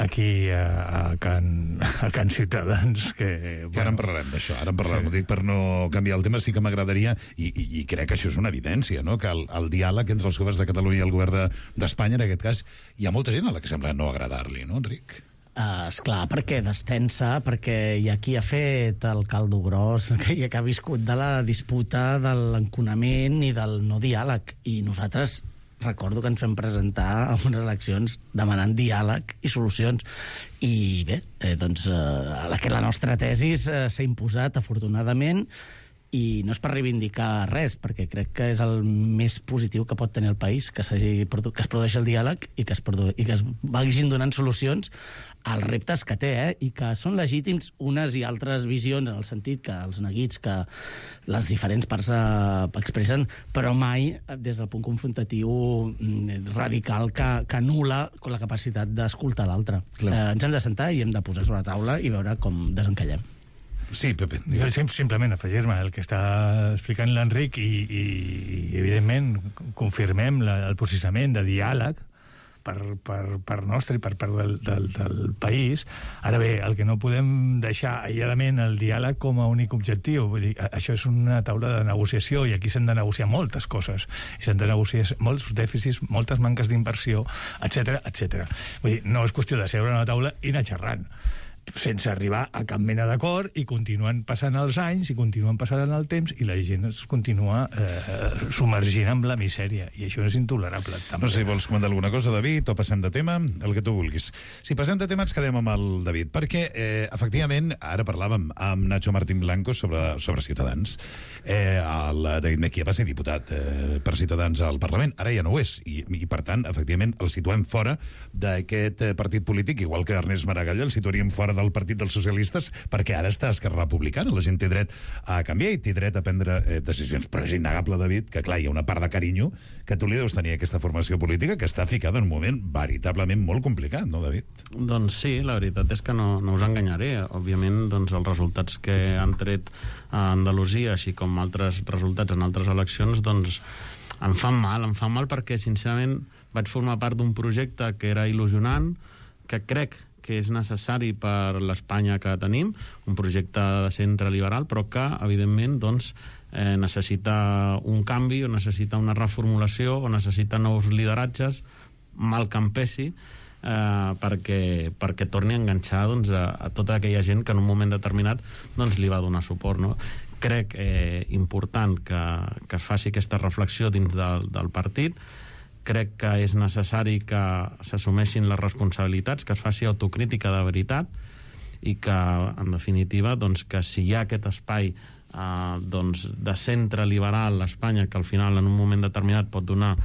aquí a Can Ciutadans, que ara en parlarem d'això, ho dic per no canviar el tema. Sí que m'agradaria, i crec que això és una evidència, no? Que el diàleg entre els governs de Catalunya i el govern d'Espanya, en aquest cas, hi ha molta gent a la que sembla no agradar-li, no, Enric? Esclar, perquè destensa, perquè hi ha qui ha fet el caldo gros, que ha viscut de la disputa, de l'enconament i del no diàleg. I nosaltres recordo que ens vam presentar a unes eleccions demanant diàleg i solucions. I bé, doncs la nostra tesi s'ha imposat, afortunadament, i no és per reivindicar res, perquè crec que és el més positiu que pot tenir el país, que es produeixi el diàleg i que es vagin donant solucions als reptes que té, i que són legítims unes i altres visions, en el sentit que els neguits que les diferents parts expressen, però mai des del punt confrontatiu radical que anul·la la capacitat d'escoltar l'altre. Ens hem de sentar i hem de posar sobre la taula i veure com desencallem. Sí, Pepe. Simplement afegir-me el que està explicant l'Enric i evidentment, confirmem el posicionament de diàleg per nostre i per part del país. Ara bé, el que no podem deixar aïlladament el diàleg com a únic objectiu. Vull dir, això és una taula de negociació i aquí s'han de negociar moltes coses. S'han de negociar molts dèficits, moltes manques d'inversió, etc. Vull dir, no és qüestió de seure a una taula i anar xerrant sense arribar a cap mena d'acord, i continuen passant els anys i continuen passant el temps i la gent es continua submergint amb la misèria, i això és intolerable també. No sé si vols comentar alguna cosa, David, o passem de tema, el que tu vulguis. Si passem de tema ens quedem amb el David, perquè efectivament ara parlàvem amb Nacho Martín Blanco sobre Ciutadans. El David Mejía va ser diputat per Ciutadans al Parlament, ara ja no ho és, i per tant, efectivament, el situem fora d'aquest partit polític, igual que Ernest Maragall el situaríem fora del Partit dels Socialistes, perquè ara està a Esquerra Republicana. La gent té dret a canviar i té dret a prendre decisions. Però és innegable, David, que clar, hi ha una part de carinyo que tu li deus tenir a aquesta formació política que està ficada en un moment veritablement molt complicat, no, David? Doncs sí, la veritat és que no us enganyaré. Òbviament, doncs, els resultats que han tret a Andalusia, així com altres resultats en altres eleccions, doncs em fan mal perquè, sincerament, vaig formar part d'un projecte que era il·lusionant, que crec que és necessari per l'Espanya que tenim, un projecte de centre liberal, però que, evidentment, doncs, necessita un canvi, o necessita una reformulació, o necessita nous lideratges, mal que em pesi, perquè torni a enganxar doncs, a tota aquella gent que en un moment determinat doncs, li va donar suport. No? Crec important que es faci aquesta reflexió dins del partit. Crec que és necessari que s'assumeixin les responsabilitats, que es faci autocrítica de veritat i que, en definitiva, doncs, que si hi ha aquest espai doncs, de centre liberal a Espanya, que al final en un moment determinat pot donar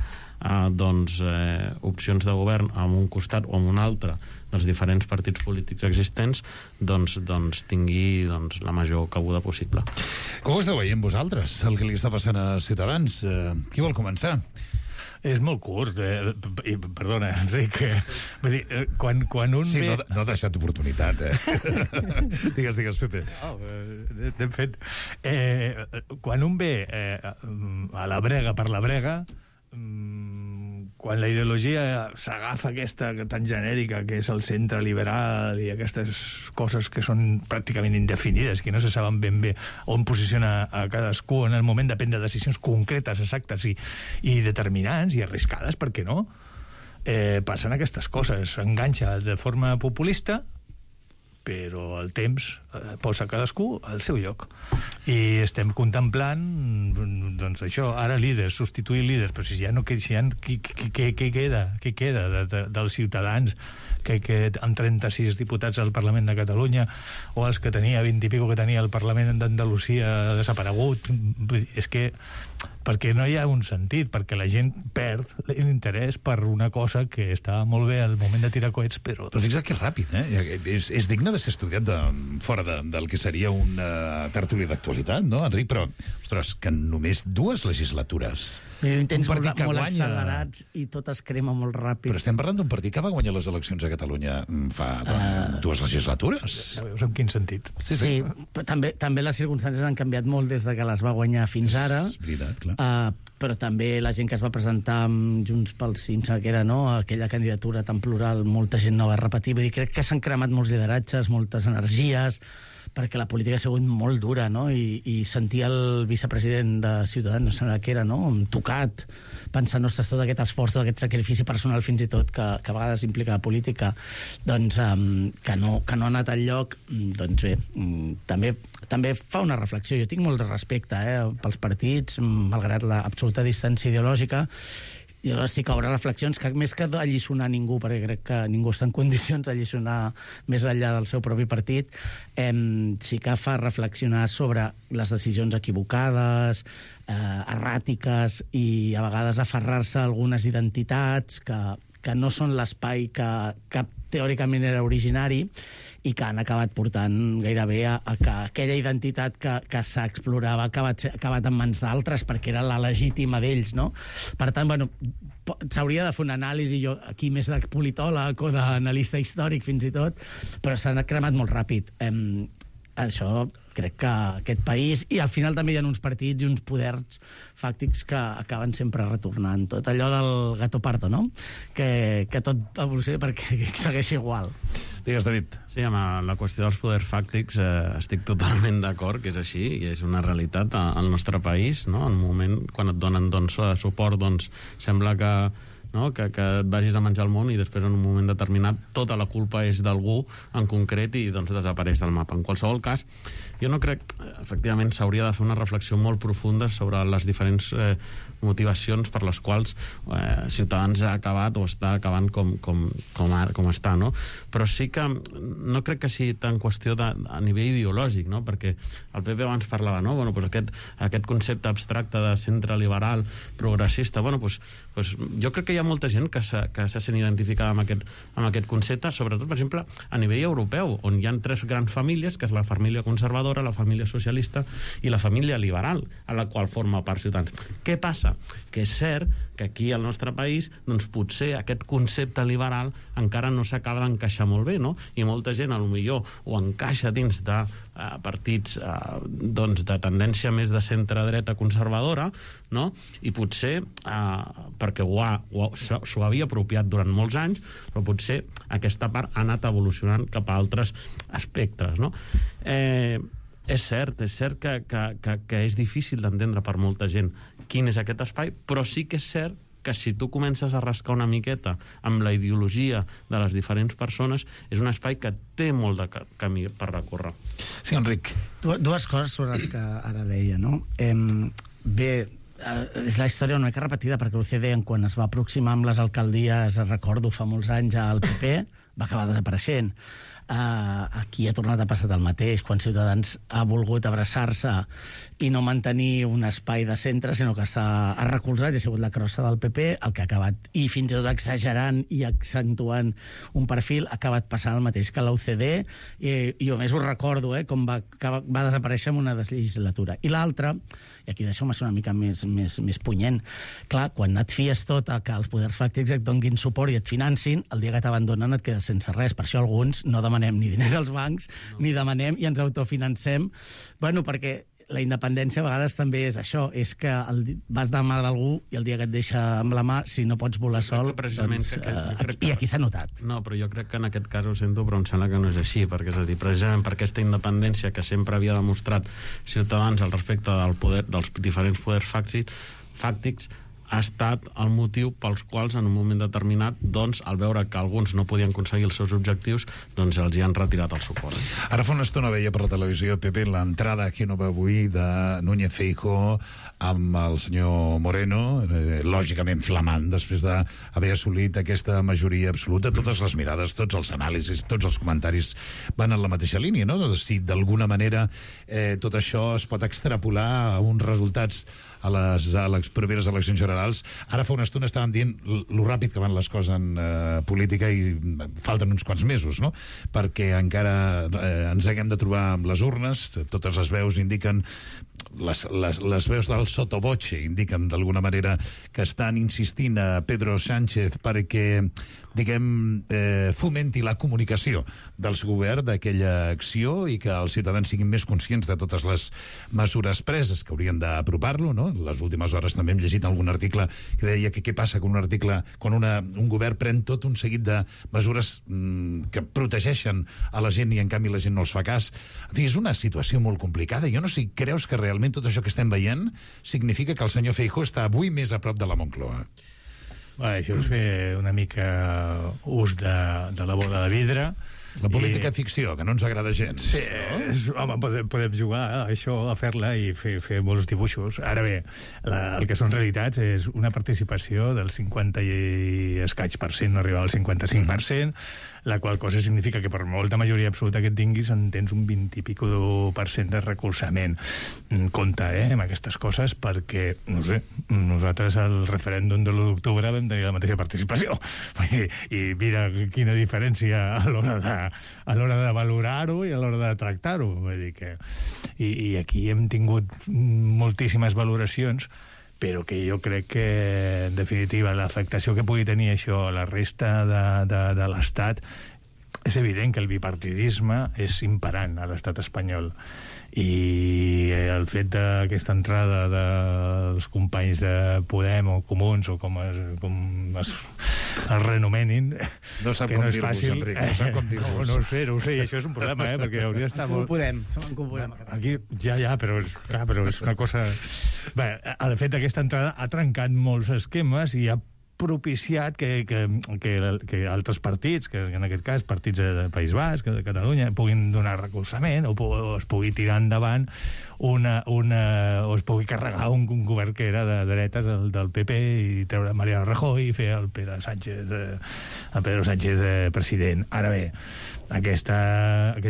opcions de govern a un costat o a un altre dels diferents partits polítics existents, doncs tingui la major cabuda possible. Com ho esteu veient vosaltres, el que li està passant a Ciutadans? Qui vol començar? És molt curt, perdona, Enric. Vull dir, quan un sí, ve... no ha deixat oportunitat, Digues, Pepe. De fet, quan un ve a la brega per la brega, quan la ideologia s'agafa aquesta tan genèrica que és el centre liberal i aquestes coses que són pràcticament indefinides, que no se saben ben bé on posiciona a cadascú en el moment de prendre decisions concretes, exactes i determinants i arriscades, per què no? Passen aquestes coses, s'enganxa de forma populista, però el temps posa cadascú al seu lloc. I estem contemplant, doncs això, ara líders, substituir líders, però si ja no què queda dels ciutadans que amb 36 diputats al Parlament de Catalunya o els que tenia 20 i pico que tenia el Parlament d'Andalusia desaparegut? És que perquè no hi ha un sentit, perquè la gent perd l'interès per una cosa que està molt bé al moment de tirar coets, però... Però fixa't que és ràpid, És digne de ser estudiat fora fora del que seria una tertúlia d'actualitat, no, Enric? Però, ostres, que només 2 legislatures. Un partit que molt guanya... accelerats i tot es crema molt ràpid. Però estem parlant d'un partit que va guanyar les eleccions a Catalunya fa 2 legislatures. Ja veus en quin sentit. Sí, també les circumstàncies han canviat molt des de que les va guanyar fins ara. És veritat, clar. Però també la gent que es va presentar amb Junts pel Sí, em sembla que era, no?, aquella candidatura tan plural, molta gent no va repetir. Vull dir, crec que s'han cremat molts lideratges, moltes energies, perquè la política ha sigut molt dura, no? I sentir el vicepresident de Ciutadans, no sé què era, no?, tocat, pensant, ostres, tot aquest esforç, tot aquest sacrifici personal fins i tot, que a vegades implica la política, doncs, que no ha anat enlloc, doncs bé, també fa una reflexió. Jo tinc molt de respecte pels partits, malgrat l'absoluta distància ideològica. Jo sí que obre reflexions que, més que alliçonar ningú, perquè crec que ningú està en condicions d'alliçonar més enllà del seu propi partit, sí que fa reflexionar sobre les decisions equivocades, erràtiques, i a vegades aferrar-se a algunes identitats que no són l'espai que teòricament era originari, i que han acabat portant gairebé a que aquella identitat que s'explorava ha acabat en mans d'altres, perquè era la legítima d'ells, no? Per tant, bueno, s'hauria de fer una anàlisi, jo aquí més de politòleg o d'analista històric fins i tot, però s'han cremat molt ràpid. Això crec que aquest país, i al final també hi ha uns partits i uns poders fàctics que acaben sempre retornant. Tot allò del gato pardo, no? Que tot evoluciona perquè segueix igual. Digues, David. Sí, amb la qüestió dels poders fàctics estic totalment d'acord, que és així, i és una realitat al nostre país, no? En un moment, quan et donen suport, doncs sembla que et vagis a menjar el món, i després en un moment determinat tota la culpa és d'algú en concret i doncs desapareix del mapa. En qualsevol cas, jo no crec, efectivament, s'hauria de fer una reflexió molt profunda sobre les diferents motivacions per les quals Ciutadans ha acabat o està acabant com està, no? Però sí que no crec que sigui tan qüestió a nivell ideològic, no? Perquè el PP abans parlava, no? Bueno, pues aquest concepte abstracte de centre liberal, progressista, bueno, pues jo crec que hi ha molta gent que se sent identificada amb aquest concepte, sobretot, per exemple, a nivell europeu, on hi ha 3 grans famílies, que és la família conservadora, la família socialista i la família liberal, a la qual forma part Ciutadans. Què passa? Que és cert que aquí al nostre país, doncs potser aquest concepte liberal encara no s'acaba d'encaixar molt bé, no? I molta gent, potser ho encaixa dins de partits doncs de tendència més de centre-dreta conservadora, no? I potser, perquè s'ho havia apropiat durant molts anys, però potser aquesta part ha anat evolucionant cap a altres espectres, no? És cert que és difícil d'entendre per molta gent quin és aquest espai, però sí que és cert que si tu comences a rascar una miqueta amb la ideologia de les diferents persones, és un espai que té molt de camí per recórrer. Sí, Enric. 2 coses sobre les que ara deia, no? Bé, és la història una mica repetida, perquè l'UCD, quan es va aproximar amb les alcaldies, recordo fa molts anys, al PP, va acabar desapareixent. Aquí ha tornat a passar el mateix, quan Ciutadans ha volgut abraçar-se i no mantenir un espai de centre, sinó que s'ha recolzat i ha sigut la crossa del PP, el que ha acabat, i fins i tot exagerant i accentuant un perfil, ha acabat passant el mateix que la UCD, i jo més ho recordo, com va desaparèixer en una legislatura. I l'altra, i aquí deixeu-me ser una mica més punyent, clar, quan et fies tot a que els poders fàctics et donin suport i et financin, el dia que t'abandonen et quedes sense res. Per això alguns no demanem ni diners als bancs, ni demanem i ens autofinancem. Bueno, perquè la independència a vegades també és això, és que vas de mà d'algú i el dia que et deixa amb la mà, si no pots volar sol, doncs... I aquí s'ha notat. No, però jo crec que en aquest cas ho sento, però em sembla que no és així, perquè és a dir, precisament per aquesta independència que sempre havia demostrat Ciutadans al respecte del poder, dels diferents poders fàctics, ha estat el motiu pels quals en un moment determinat, doncs, al veure que alguns no podien aconseguir els seus objectius, doncs els hi han retirat el suport. Ara fa una estona veia per la televisió PP l'entrada a Génova avui de Núñez Feijóo amb el senyor Moreno, lògicament flamant, després d'haver assolit aquesta majoria absoluta. Totes les mirades, tots els anàlisis, tots els comentaris van en la mateixa línia, no? Si d'alguna manera tot això es pot extrapolar a uns resultats a les properes eleccions generals generals. Ara fa una estona estàvem dient lo ràpid que van les coses en política i falten uns quants mesos, no? Perquè encara ens haguem de trobar amb les urnes, totes les veus indiquen, les veus del sottovoce indiquen d'alguna manera que estan insistint a Pedro Sánchez perquè, diguem, fomenti la comunicació del seu govern d'aquella acció i que els ciutadans siguin més conscients de totes les mesures preses que haurien d'apropar-lo, no? Les últimes hores també hem llegit algun article que deia que què passa quan un govern pren tot un seguit de mesures que protegeixen a la gent i en canvi la gent no els fa cas. En fi, és una situació molt complicada. Jo no sé si creus que realment tot això que estem veient significa que el senyor Feijóo està avui més a prop de la Moncloa. Això és fer una mica ús de la bola de vidre. La política ficció, que no ens agrada gens. Sí, home, podem jugar a això, a fer-la i fer molts dibuixos. Ara bé, el que són realitats és una participació del 50 i escaig per cent, no arribar al 55%, la qual cosa significa que per molta majoria absoluta que et tinguis en tens un 20 i pico % de recolzament. Compte, amb aquestes coses, perquè, no sé, nosaltres al referèndum de l'1 d'octubre vam tenir la mateixa participació. I mira quina diferència a l'hora de valorar-ho i a l'hora de tractar-ho. Vull dir que... I aquí hem tingut moltíssimes valoracions, però que jo crec que, en definitiva, l'afectació que pugui tenir això a la resta de l'Estat, és evident que el bipartidisme és imperant a l'Estat espanyol. I el fet d'aquesta entrada dels companys de Podem o Comuns o com es renomenin, no sap com dir-vos, Enric, no sap com dir-vos. No ho sé, i això és un problema, perquè hauria d'estar molt... Som en Podem. Aquí, ja, però és una cosa... Bé, el fet d'aquesta entrada ha trencat molts esquemes i ha propiciat que altres partits, que en aquest cas partits de País Basc, de Catalunya, puguin donar recolzament o es pugui tirar endavant o es pugui carregar un govern que era de dretes, del PP, i treure Mariano Rajoy i fer el Pedro Sánchez president. Ara bé, aquest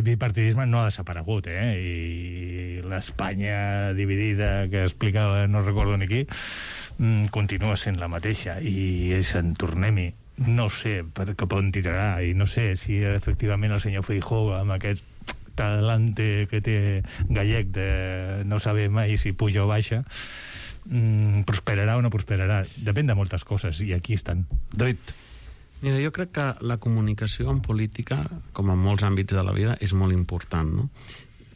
bipartidisme no ha desaparegut, i l'Espanya dividida que explicava no recordo ni qui continua sent la mateixa i en tornem-hi. No sé cap on tirarà i no sé si efectivament el senyor Feijóo amb aquest talante que té gallec de no saber mai si puja o baixa prosperarà o no prosperarà. Depèn de moltes coses i aquí estan. David. Mira, jo crec que la comunicació en política, com en molts àmbits de la vida, és molt important, no?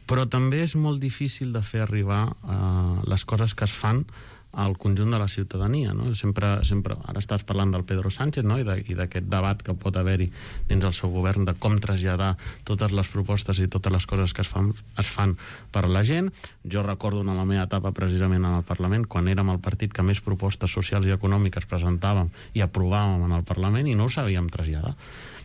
Però també és molt difícil de fer arribar les coses que es fan al conjunt de la ciutadania, no? Sempre, ara estàs parlant del Pedro Sánchez, no? I d'aquest debat que pot haver-hi dins el seu govern de com traslladar totes les propostes i totes les coses que es fan per a la gent. Jo recordo en la meva etapa precisament en el Parlament, quan érem el partit que més propostes socials i econòmiques presentàvem i aprovàvem en el Parlament i no ho sabíem traslladar,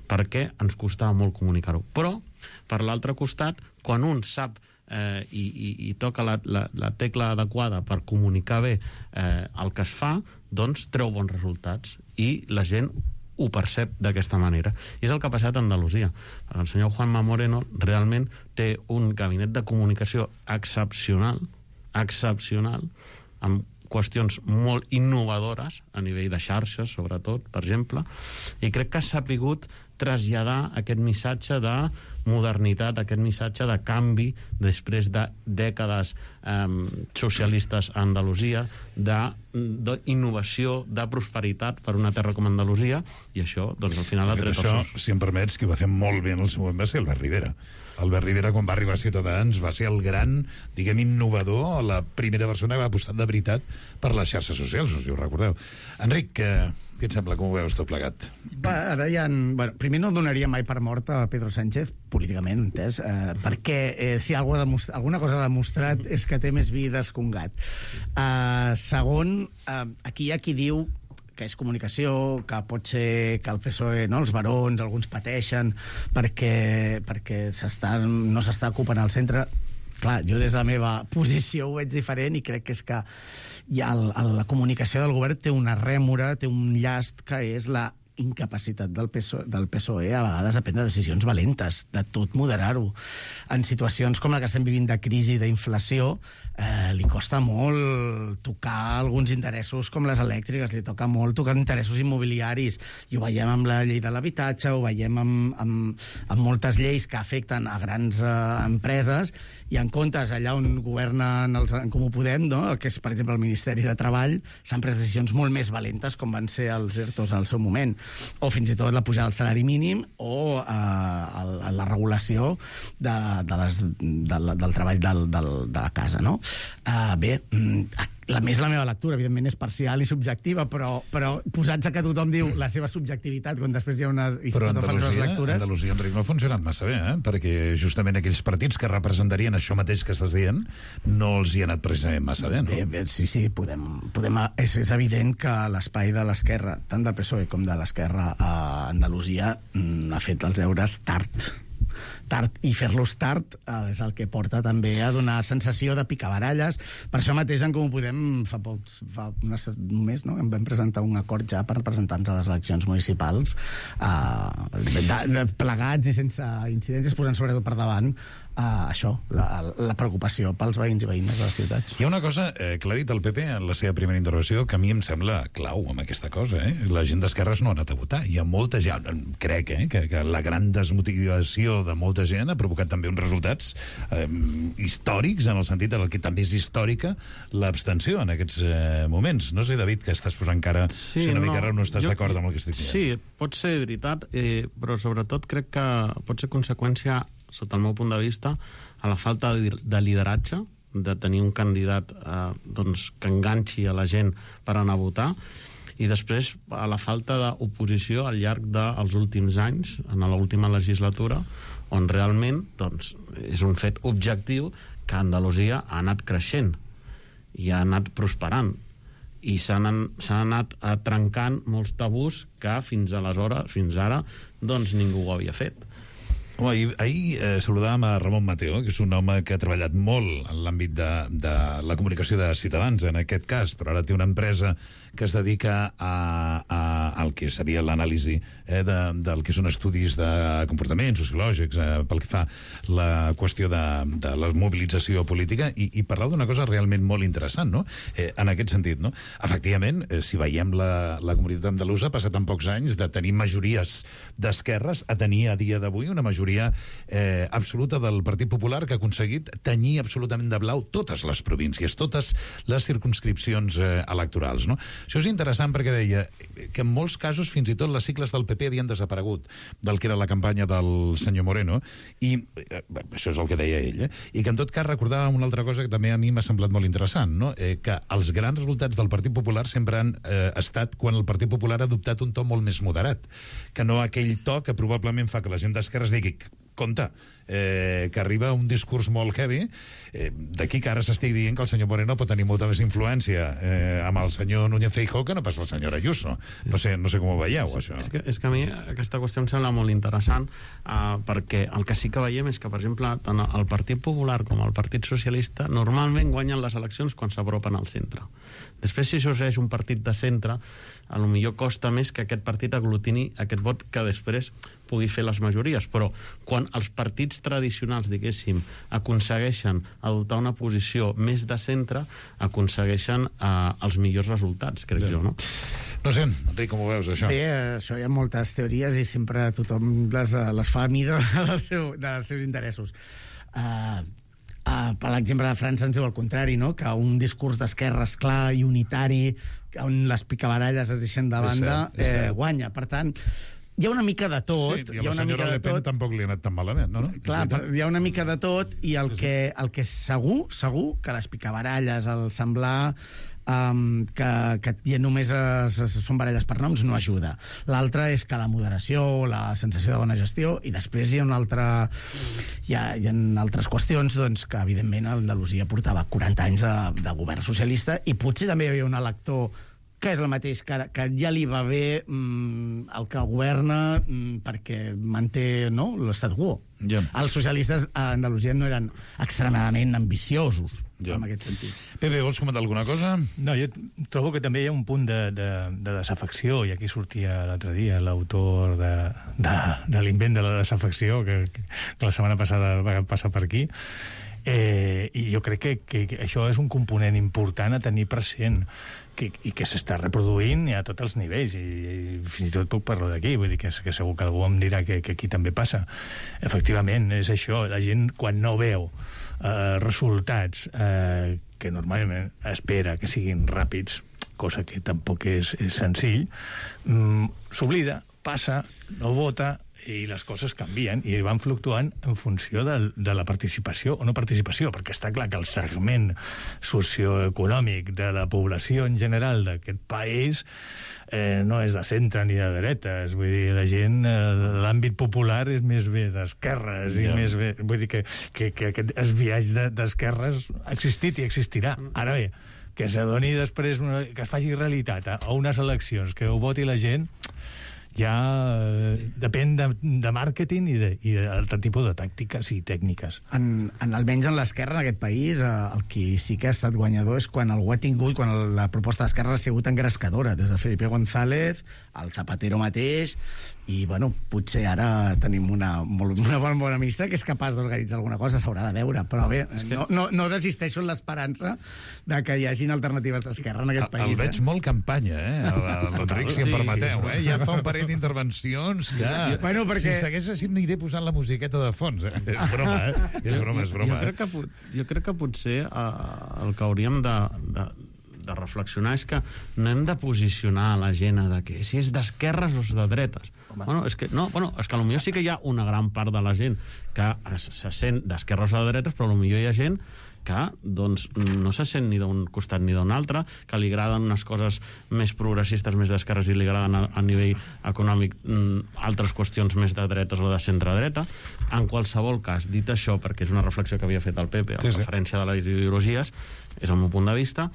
perquè ens costava molt comunicar-ho. Però, per l'altre costat, quan un sap i toca la tecla adequada per comunicar bé el que es fa, doncs treu bons resultats i la gent ho percep d'aquesta manera. I és el que ha passat a Andalusia. El senyor Juanma Moreno realment té un gabinet de comunicació excepcional, amb qüestions molt innovadores a nivell de xarxes, sobretot, per exemple, i crec que ha sapigut traslladar aquest missatge de modernitat, aquest missatge de canvi després de dècades socialistes a Andalusia, d'innovació, de prosperitat per una terra com Andalusia, i això, doncs, al final ha tret els seus. Si em permets, qui ho va fer molt bé en el seu moment va ser Albert Rivera. Albert Rivera, quan va arribar a Ciutadans, va ser el gran, diguem, innovador, la primera persona que va apostar de veritat per les xarxes socials, si us recordeu. Enric, què et sembla, com ho veus tot plegat? Ara primer no donaria mai per mort a Pedro Sánchez, políticament, entès? Perquè si alguna cosa ha demostrat és que té més vides que un gat. Segon, aquí hi ha qui diu que és comunicació, que pot ser que el PSOE, no, els barons, alguns pateixen perquè no s'està ocupant el centre. Clar, jo des de la meva posició ho veig diferent i crec que és que la comunicació del govern té una rèmora, té un llast que és la incapacitat del PSOE a vegades a prendre decisions valentes, de tot moderar-ho. En situacions com la que estem vivint de crisi i d'inflació, li costa molt tocar alguns interessos com les elèctriques, li toca molt tocar interessos immobiliaris, i ho veiem amb la llei de l'habitatge, ho veiem amb moltes lleis que afecten a grans empreses, i en comptes, allà on governen en Comú Podem, no? Que és, per exemple, el Ministeri de Treball, s'han pres decisions molt més valentes, com van ser els ERTOs al seu moment, o fins i tot la pujada del salari mínim, o la regulació del treball de la casa, no? Bé, la meva lectura, evidentment, és parcial i subjectiva, però posats a que tothom diu la seva subjectivitat, quan després hi ha unes... Però Andalusia, Enric, no ha funcionat massa bé, perquè justament aquells partits que representarien això mateix que estàs dient no els hi ha anat precisament massa bé, no? Bé, sí, és evident que l'espai de l'esquerra, tant del PSOE com de l'esquerra a Andalusia, ha fet els deures tard, i fer-los tard és el que porta també a donar sensació de picabaralles. Per això mateix, en Comú Podem, fa un mes, no? Em vam presentar un acord ja per presentar-nos a les eleccions municipals plegats i sense incidències, posant sobretot per davant això, la preocupació pels veïns i veïnes de les ciutats. Hi ha una cosa que l'ha dit el PP en la seva primera intervenció que a mi em sembla clau amb aquesta cosa. La gent d'esquerres no ha anat a votar. Hi ha molta gent, crec, que la gran desmotivació de molta gent ha provocat també uns resultats històrics, en el sentit en el que també és històrica l'abstenció en aquests moments. No sé, David, que estàs posant cara si una mica no estàs d'acord amb el que estic dient. Sí, pot ser veritat, però sobretot crec que pot ser conseqüència, sota el meu punt de vista, a la falta de lideratge, de tenir un candidat que enganxi a la gent per anar a votar, i després a la falta d'oposició al llarg dels últims anys, en l'última legislatura, on realment és un fet objectiu que Andalusia ha anat creixent i ha anat prosperant, i s'han anat trencant molts tabús que fins ara ningú ho havia fet. Ahir saludàvem a Ramon Mateo, que és un home que ha treballat molt en l'àmbit de la comunicació de Ciutadans, en aquest cas, però ara té una empresa que es dedica al que seria l'anàlisi del que són estudis de comportaments sociològics pel que fa la qüestió de la mobilització política, i parlava d'una cosa realment molt interessant, no? En aquest sentit, no? Efectivament, si veiem la comunitat andalusa, ha passat en pocs anys de tenir majories d'esquerres a tenir a dia d'avui una majoria absoluta del Partit Popular, que ha aconseguit tenyir absolutament de blau totes les províncies, totes les circumscripcions electorals, no? Això és interessant perquè deia que en molts casos fins i tot les sigles del PP havien desaparegut del que era la campanya del senyor Moreno, i això és el que deia ell, i que en tot cas recordava una altra cosa que també a mi m'ha semblat molt interessant, no? Que els grans resultats del Partit Popular sempre han estat quan el Partit Popular ha adoptat un to molt més moderat, que no aquell to que probablement fa que la gent d'esquerres digui compte, que arriba un discurs molt heavy, d'aquí que ara s'estigui dient que el senyor Moreno pot tenir molta més influència amb el senyor Núñez Feijóo que no pas la senyora Ayuso. No sé com ho veieu, això. És que a mi aquesta qüestió em sembla molt interessant, perquè el que sí que veiem és que, per exemple, tant el Partit Popular com el Partit Socialista normalment guanyen les eleccions quan s'apropen al centre. Després, si sorgeix un partit de centre, a lo millor costa més que aquest partit aglutini aquest vot que després pugui fer les majories, però quan els partits tradicionals, diguéssim, aconsegueixen adoptar una posició més de centre, aconsegueixen els millors resultats, crec jo, no? No sé, Enric, com ho veus, això? Bé, això hi ha moltes teories i sempre tothom les fa a mida dels seus interessos. Per l'exemple de França ens diu el contrari, no? Que un discurs d'esquerres clar i unitari, on les picabaralles es deixen de banda, guanya. Per tant, hi ha una mica de tot. Sí, i a la senyora Le Pen tampoc li ha anat tan malament, no? Clar, hi ha una mica de tot, i el que segur que les picabaralles, el semblar que ja només són baralles per noms, no ajuda. L'altre és que la moderació, la sensació de bona gestió, i després hi ha altres qüestions que, evidentment, Andalusia portava 40 anys de govern socialista, i potser també hi havia un elector que és el mateix, que ja li va bé el que governa perquè manté l'estat quo. Els socialistes a Andalusia no eren extremadament ambiciosos. en aquest sentit. Pepe, vols comentar alguna cosa? No, jo trobo que també hi ha un punt de desafecció, i aquí sortia l'altre dia l'autor de l'invent de la desafecció, que la setmana passada va passar per aquí, i jo crec que això és un component important a tenir present, i que s'està reproduint a tots els nivells, i fins i tot puc parlar d'aquí, vull dir que segur que algú em dirà que aquí també passa. Efectivament, és això, la gent quan no veu resultats que normalment espera que siguin ràpids, cosa que tampoc és senzill, s'oblida, passa, no vota, i les coses canvien i van fluctuant en funció de la participació o no participació, perquè està clar que el segment socioeconòmic de la població en general d'aquest país no és de centre ni de dretes, vull dir, la gent, l'àmbit popular és més bé d'esquerres, i més bé, vull dir que aquest esbiaix d'esquerres ha existit i existirà. Ara bé, que s'adoni després, que es faci realitat a unes eleccions, que ho voti la gent, ja depèn de màrqueting i d'altre tipus de tàctiques i tècniques. Almenys en l'esquerra en aquest país, el que sí que ha estat guanyador és quan algú ha tingut, quan la proposta d'esquerra ha sigut engrescadora, des de Felipe González, el Zapatero mateix, i bueno, potser ara tenim una bona ministra que és capaç d'organitzar alguna cosa, s'haurà de veure, però bé, no desisteixo en l'esperança de que hi hagin alternatives d'esquerra en aquest país. El veig molt campanya, el Rodric, si em permeteu, ja fa un parell d'intervencions que, si segueix així, aniré posant la musiqueta de fons. És broma, és broma. Jo crec que potser el que hauríem de reflexionar és que no hem de posicionar la gent de que si és d'esquerres o és de dretes. És que potser sí que hi ha una gran part de la gent que se sent d'esquerres o de dretes, però potser hi ha gent que no se sent ni d'un costat ni d'un altre, que li agraden unes coses més progressistes, més d'esquerres, i li agraden a nivell econòmic altres qüestions més de dretes o de centre-dreta. En qualsevol cas, dit això, perquè és una reflexió que havia fet el PP, a referència de les ideologies, és el meu punt de vista,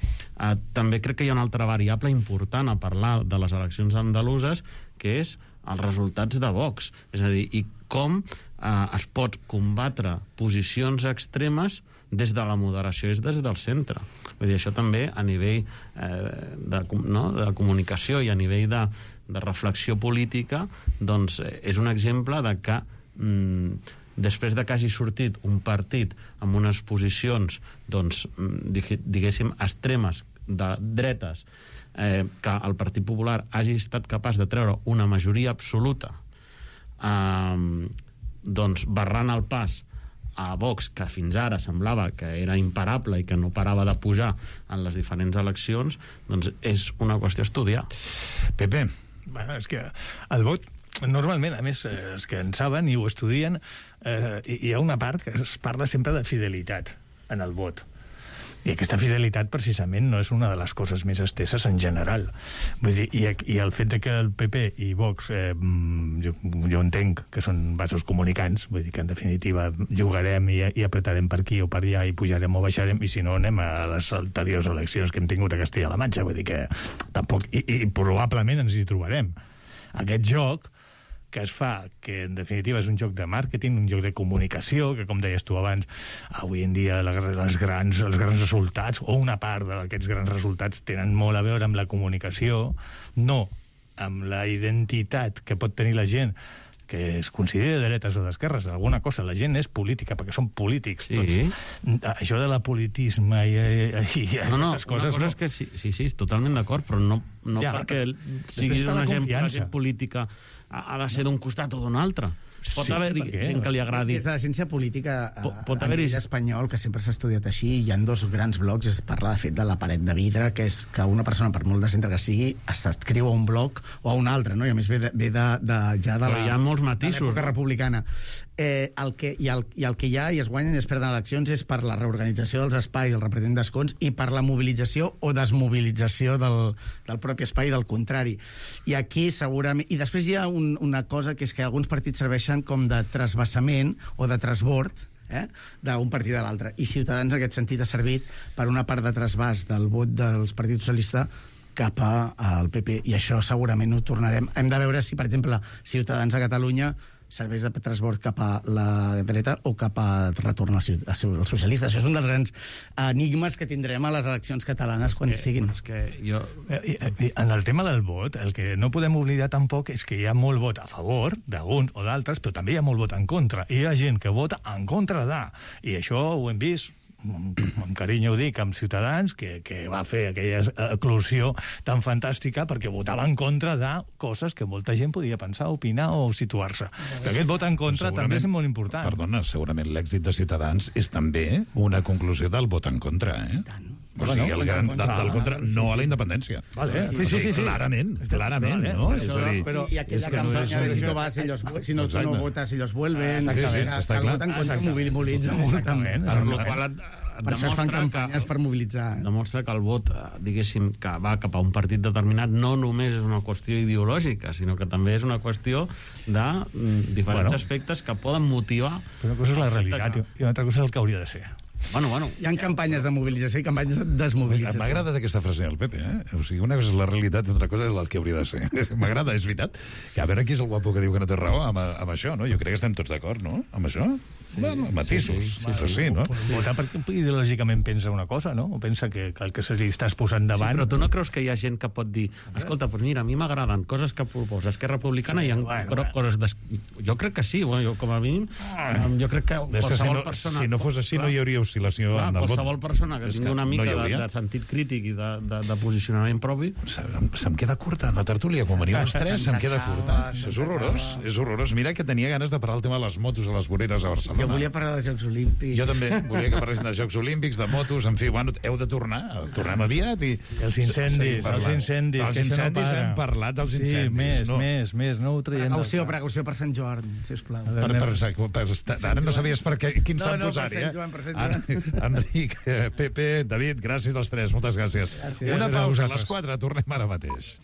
també crec que hi ha una altra variable important a parlar de les eleccions andaluses, que és els resultats de Vox. És a dir, i com es pot combatre posicions extremes des de la moderació i des del centre. Vull dir, això també a nivell de comunicació i a nivell de reflexió política, doncs és un exemple de que després de que hagi sortit un partit amb unes posicions, doncs, diguéssim, extremes, de dretes, que el Partit Popular hagi estat capaç de treure una majoria absoluta, doncs barrant el pas a Vox, que fins ara semblava que era imparable i que no parava de pujar en les diferents eleccions, doncs és una qüestió a estudiar. Pepe. Bueno, és que el vot, normalment, a més, els que en saben i ho estudien, hi ha una part que es parla sempre de fidelitat en el vot. I aquesta fidelitat, precisament, no és una de les coses més esteses en general. Vull dir, i el fet que el PP i Vox, jo entenc que són vasos comunicants, vull dir que, en definitiva, jugarem i apretarem per aquí o per allà i pujarem o baixarem, i si no, anem a les anteriors eleccions que hem tingut a Castilla-La Manxa. Vull dir que tampoc... I probablement ens hi trobarem. Aquest joc que es fa, que en definitiva és un joc de màrqueting, un joc de comunicació, que com deies tu abans, avui en dia els grans resultats, o una part d'aquests grans resultats, tenen molt a veure amb la comunicació, no amb la identitat que pot tenir la gent que es considera de dretes o d'esquerres, alguna cosa. La gent és política, perquè són polítics. Sí. Doncs, això de l'apolitisme i aquestes coses... Una cosa és que sí, totalment d'acord, però no perquè sigui una gent política ha de ser d'un costat o d'un altre. Pot haver-hi gent que li agradi... Des de la ciència política a nivell espanyol, que sempre s'ha estudiat així, hi ha dos grans blocs. Es parla, de fet, de la paret de vidre, que és que una persona, per molt de centre que sigui, s'escriu a un bloc o a un altre, no? I a més ve ja de l'època republicana. El que hi ha i es guanyen i es perden eleccions és per la reorganització dels espais, el repartiment d'escons, i per la mobilització o desmobilització del propi espai, del contrari. I aquí segurament... I després hi ha una cosa, que és que alguns partits serveixen com de trasbassament o de trasbord d'un partit a l'altre. I Ciutadans, en aquest sentit, ha servit per una part de trasbàs del vot dels partits socialistes cap al PP, i això segurament ho tornarem. Hem de veure si, per exemple, Ciutadans a Catalunya serveix de transbord cap a la dreta o cap a retorn als socialistes. Això és un dels grans enigmes que tindrem a les eleccions catalanes quan siguin. En el tema del vot, el que no podem oblidar tampoc és que hi ha molt vot a favor d'uns o d'altres, però també hi ha molt vot en contra. I hi ha gent que vota en contra de. I això ho hem vist, amb carinyo ho dic, amb Ciutadans, que va fer aquella eclosió tan fantàstica perquè votava en contra de coses que molta gent podia pensar, opinar o situar-se. Aquest vot en contra també és molt important. Perdona, segurament l'èxit de Ciutadans és també una conclusió del vot en contra, O sigui, el gran del contra, no a la independència. Sí. Clarament, no? És a dir, i aquella campanya de si no votas, ellos vuelven. Està clar. El vot en contra mobilitza molt, també. Per això es fan campanyes per mobilitzar. Demostra que el vot, diguéssim, que va cap a un partit determinat, no només és una qüestió ideològica, sinó que també és una qüestió de diferents aspectes que poden motivar... Una cosa és la realitat i una altra cosa és el que hauria de ser. Hi ha campanyes de mobilització i campanyes de desmobilització. M'agrada aquesta frase del PP, O sigui, una cosa és la realitat i una altra cosa és el que hauria de ser. M'agrada, és veritat. Que a veure qui és el guapo que diu que no té raó amb això, no? Jo crec que estem tots d'acord, no?, amb això. Bueno, matisos, sí, no? Votar perquè ideològicament pensa una cosa, no? O pensa que el que se li estàs posant davant... Sí, però tu no creus que hi ha gent que pot dir escolta, doncs mira, a mi m'agraden coses que proposa Esquerra Republicana i coses... Jo crec que sí, jo com a mínim jo crec que qualsevol persona... Si no fos així no hi hauria oscil·lació en el vot. Qualsevol persona que tingui una mica de sentit crític i de posicionament propi... Se'm queda curta, la tertúlia, quan veniu els tres, se'm queda curta. És horrorós. Mira que tenia ganes de parlar el tema de les motos a les voreres a Barcelona. Jo volia parlar de Jocs Olímpics. Jo també volia que parlessin de Jocs Olímpics, de motos, en fi, bueno, heu de tornar. Tornem aviat i... Els incendis. Els incendis, hem parlat dels incendis. Sí, més, no ho traiem. Precaució per Sant Joan, sisplau. Ara no sabies quin sant posar-hi, Enric, Pepe, David, gràcies als tres, moltes gràcies. Una pausa a les 4, tornem ara mateix.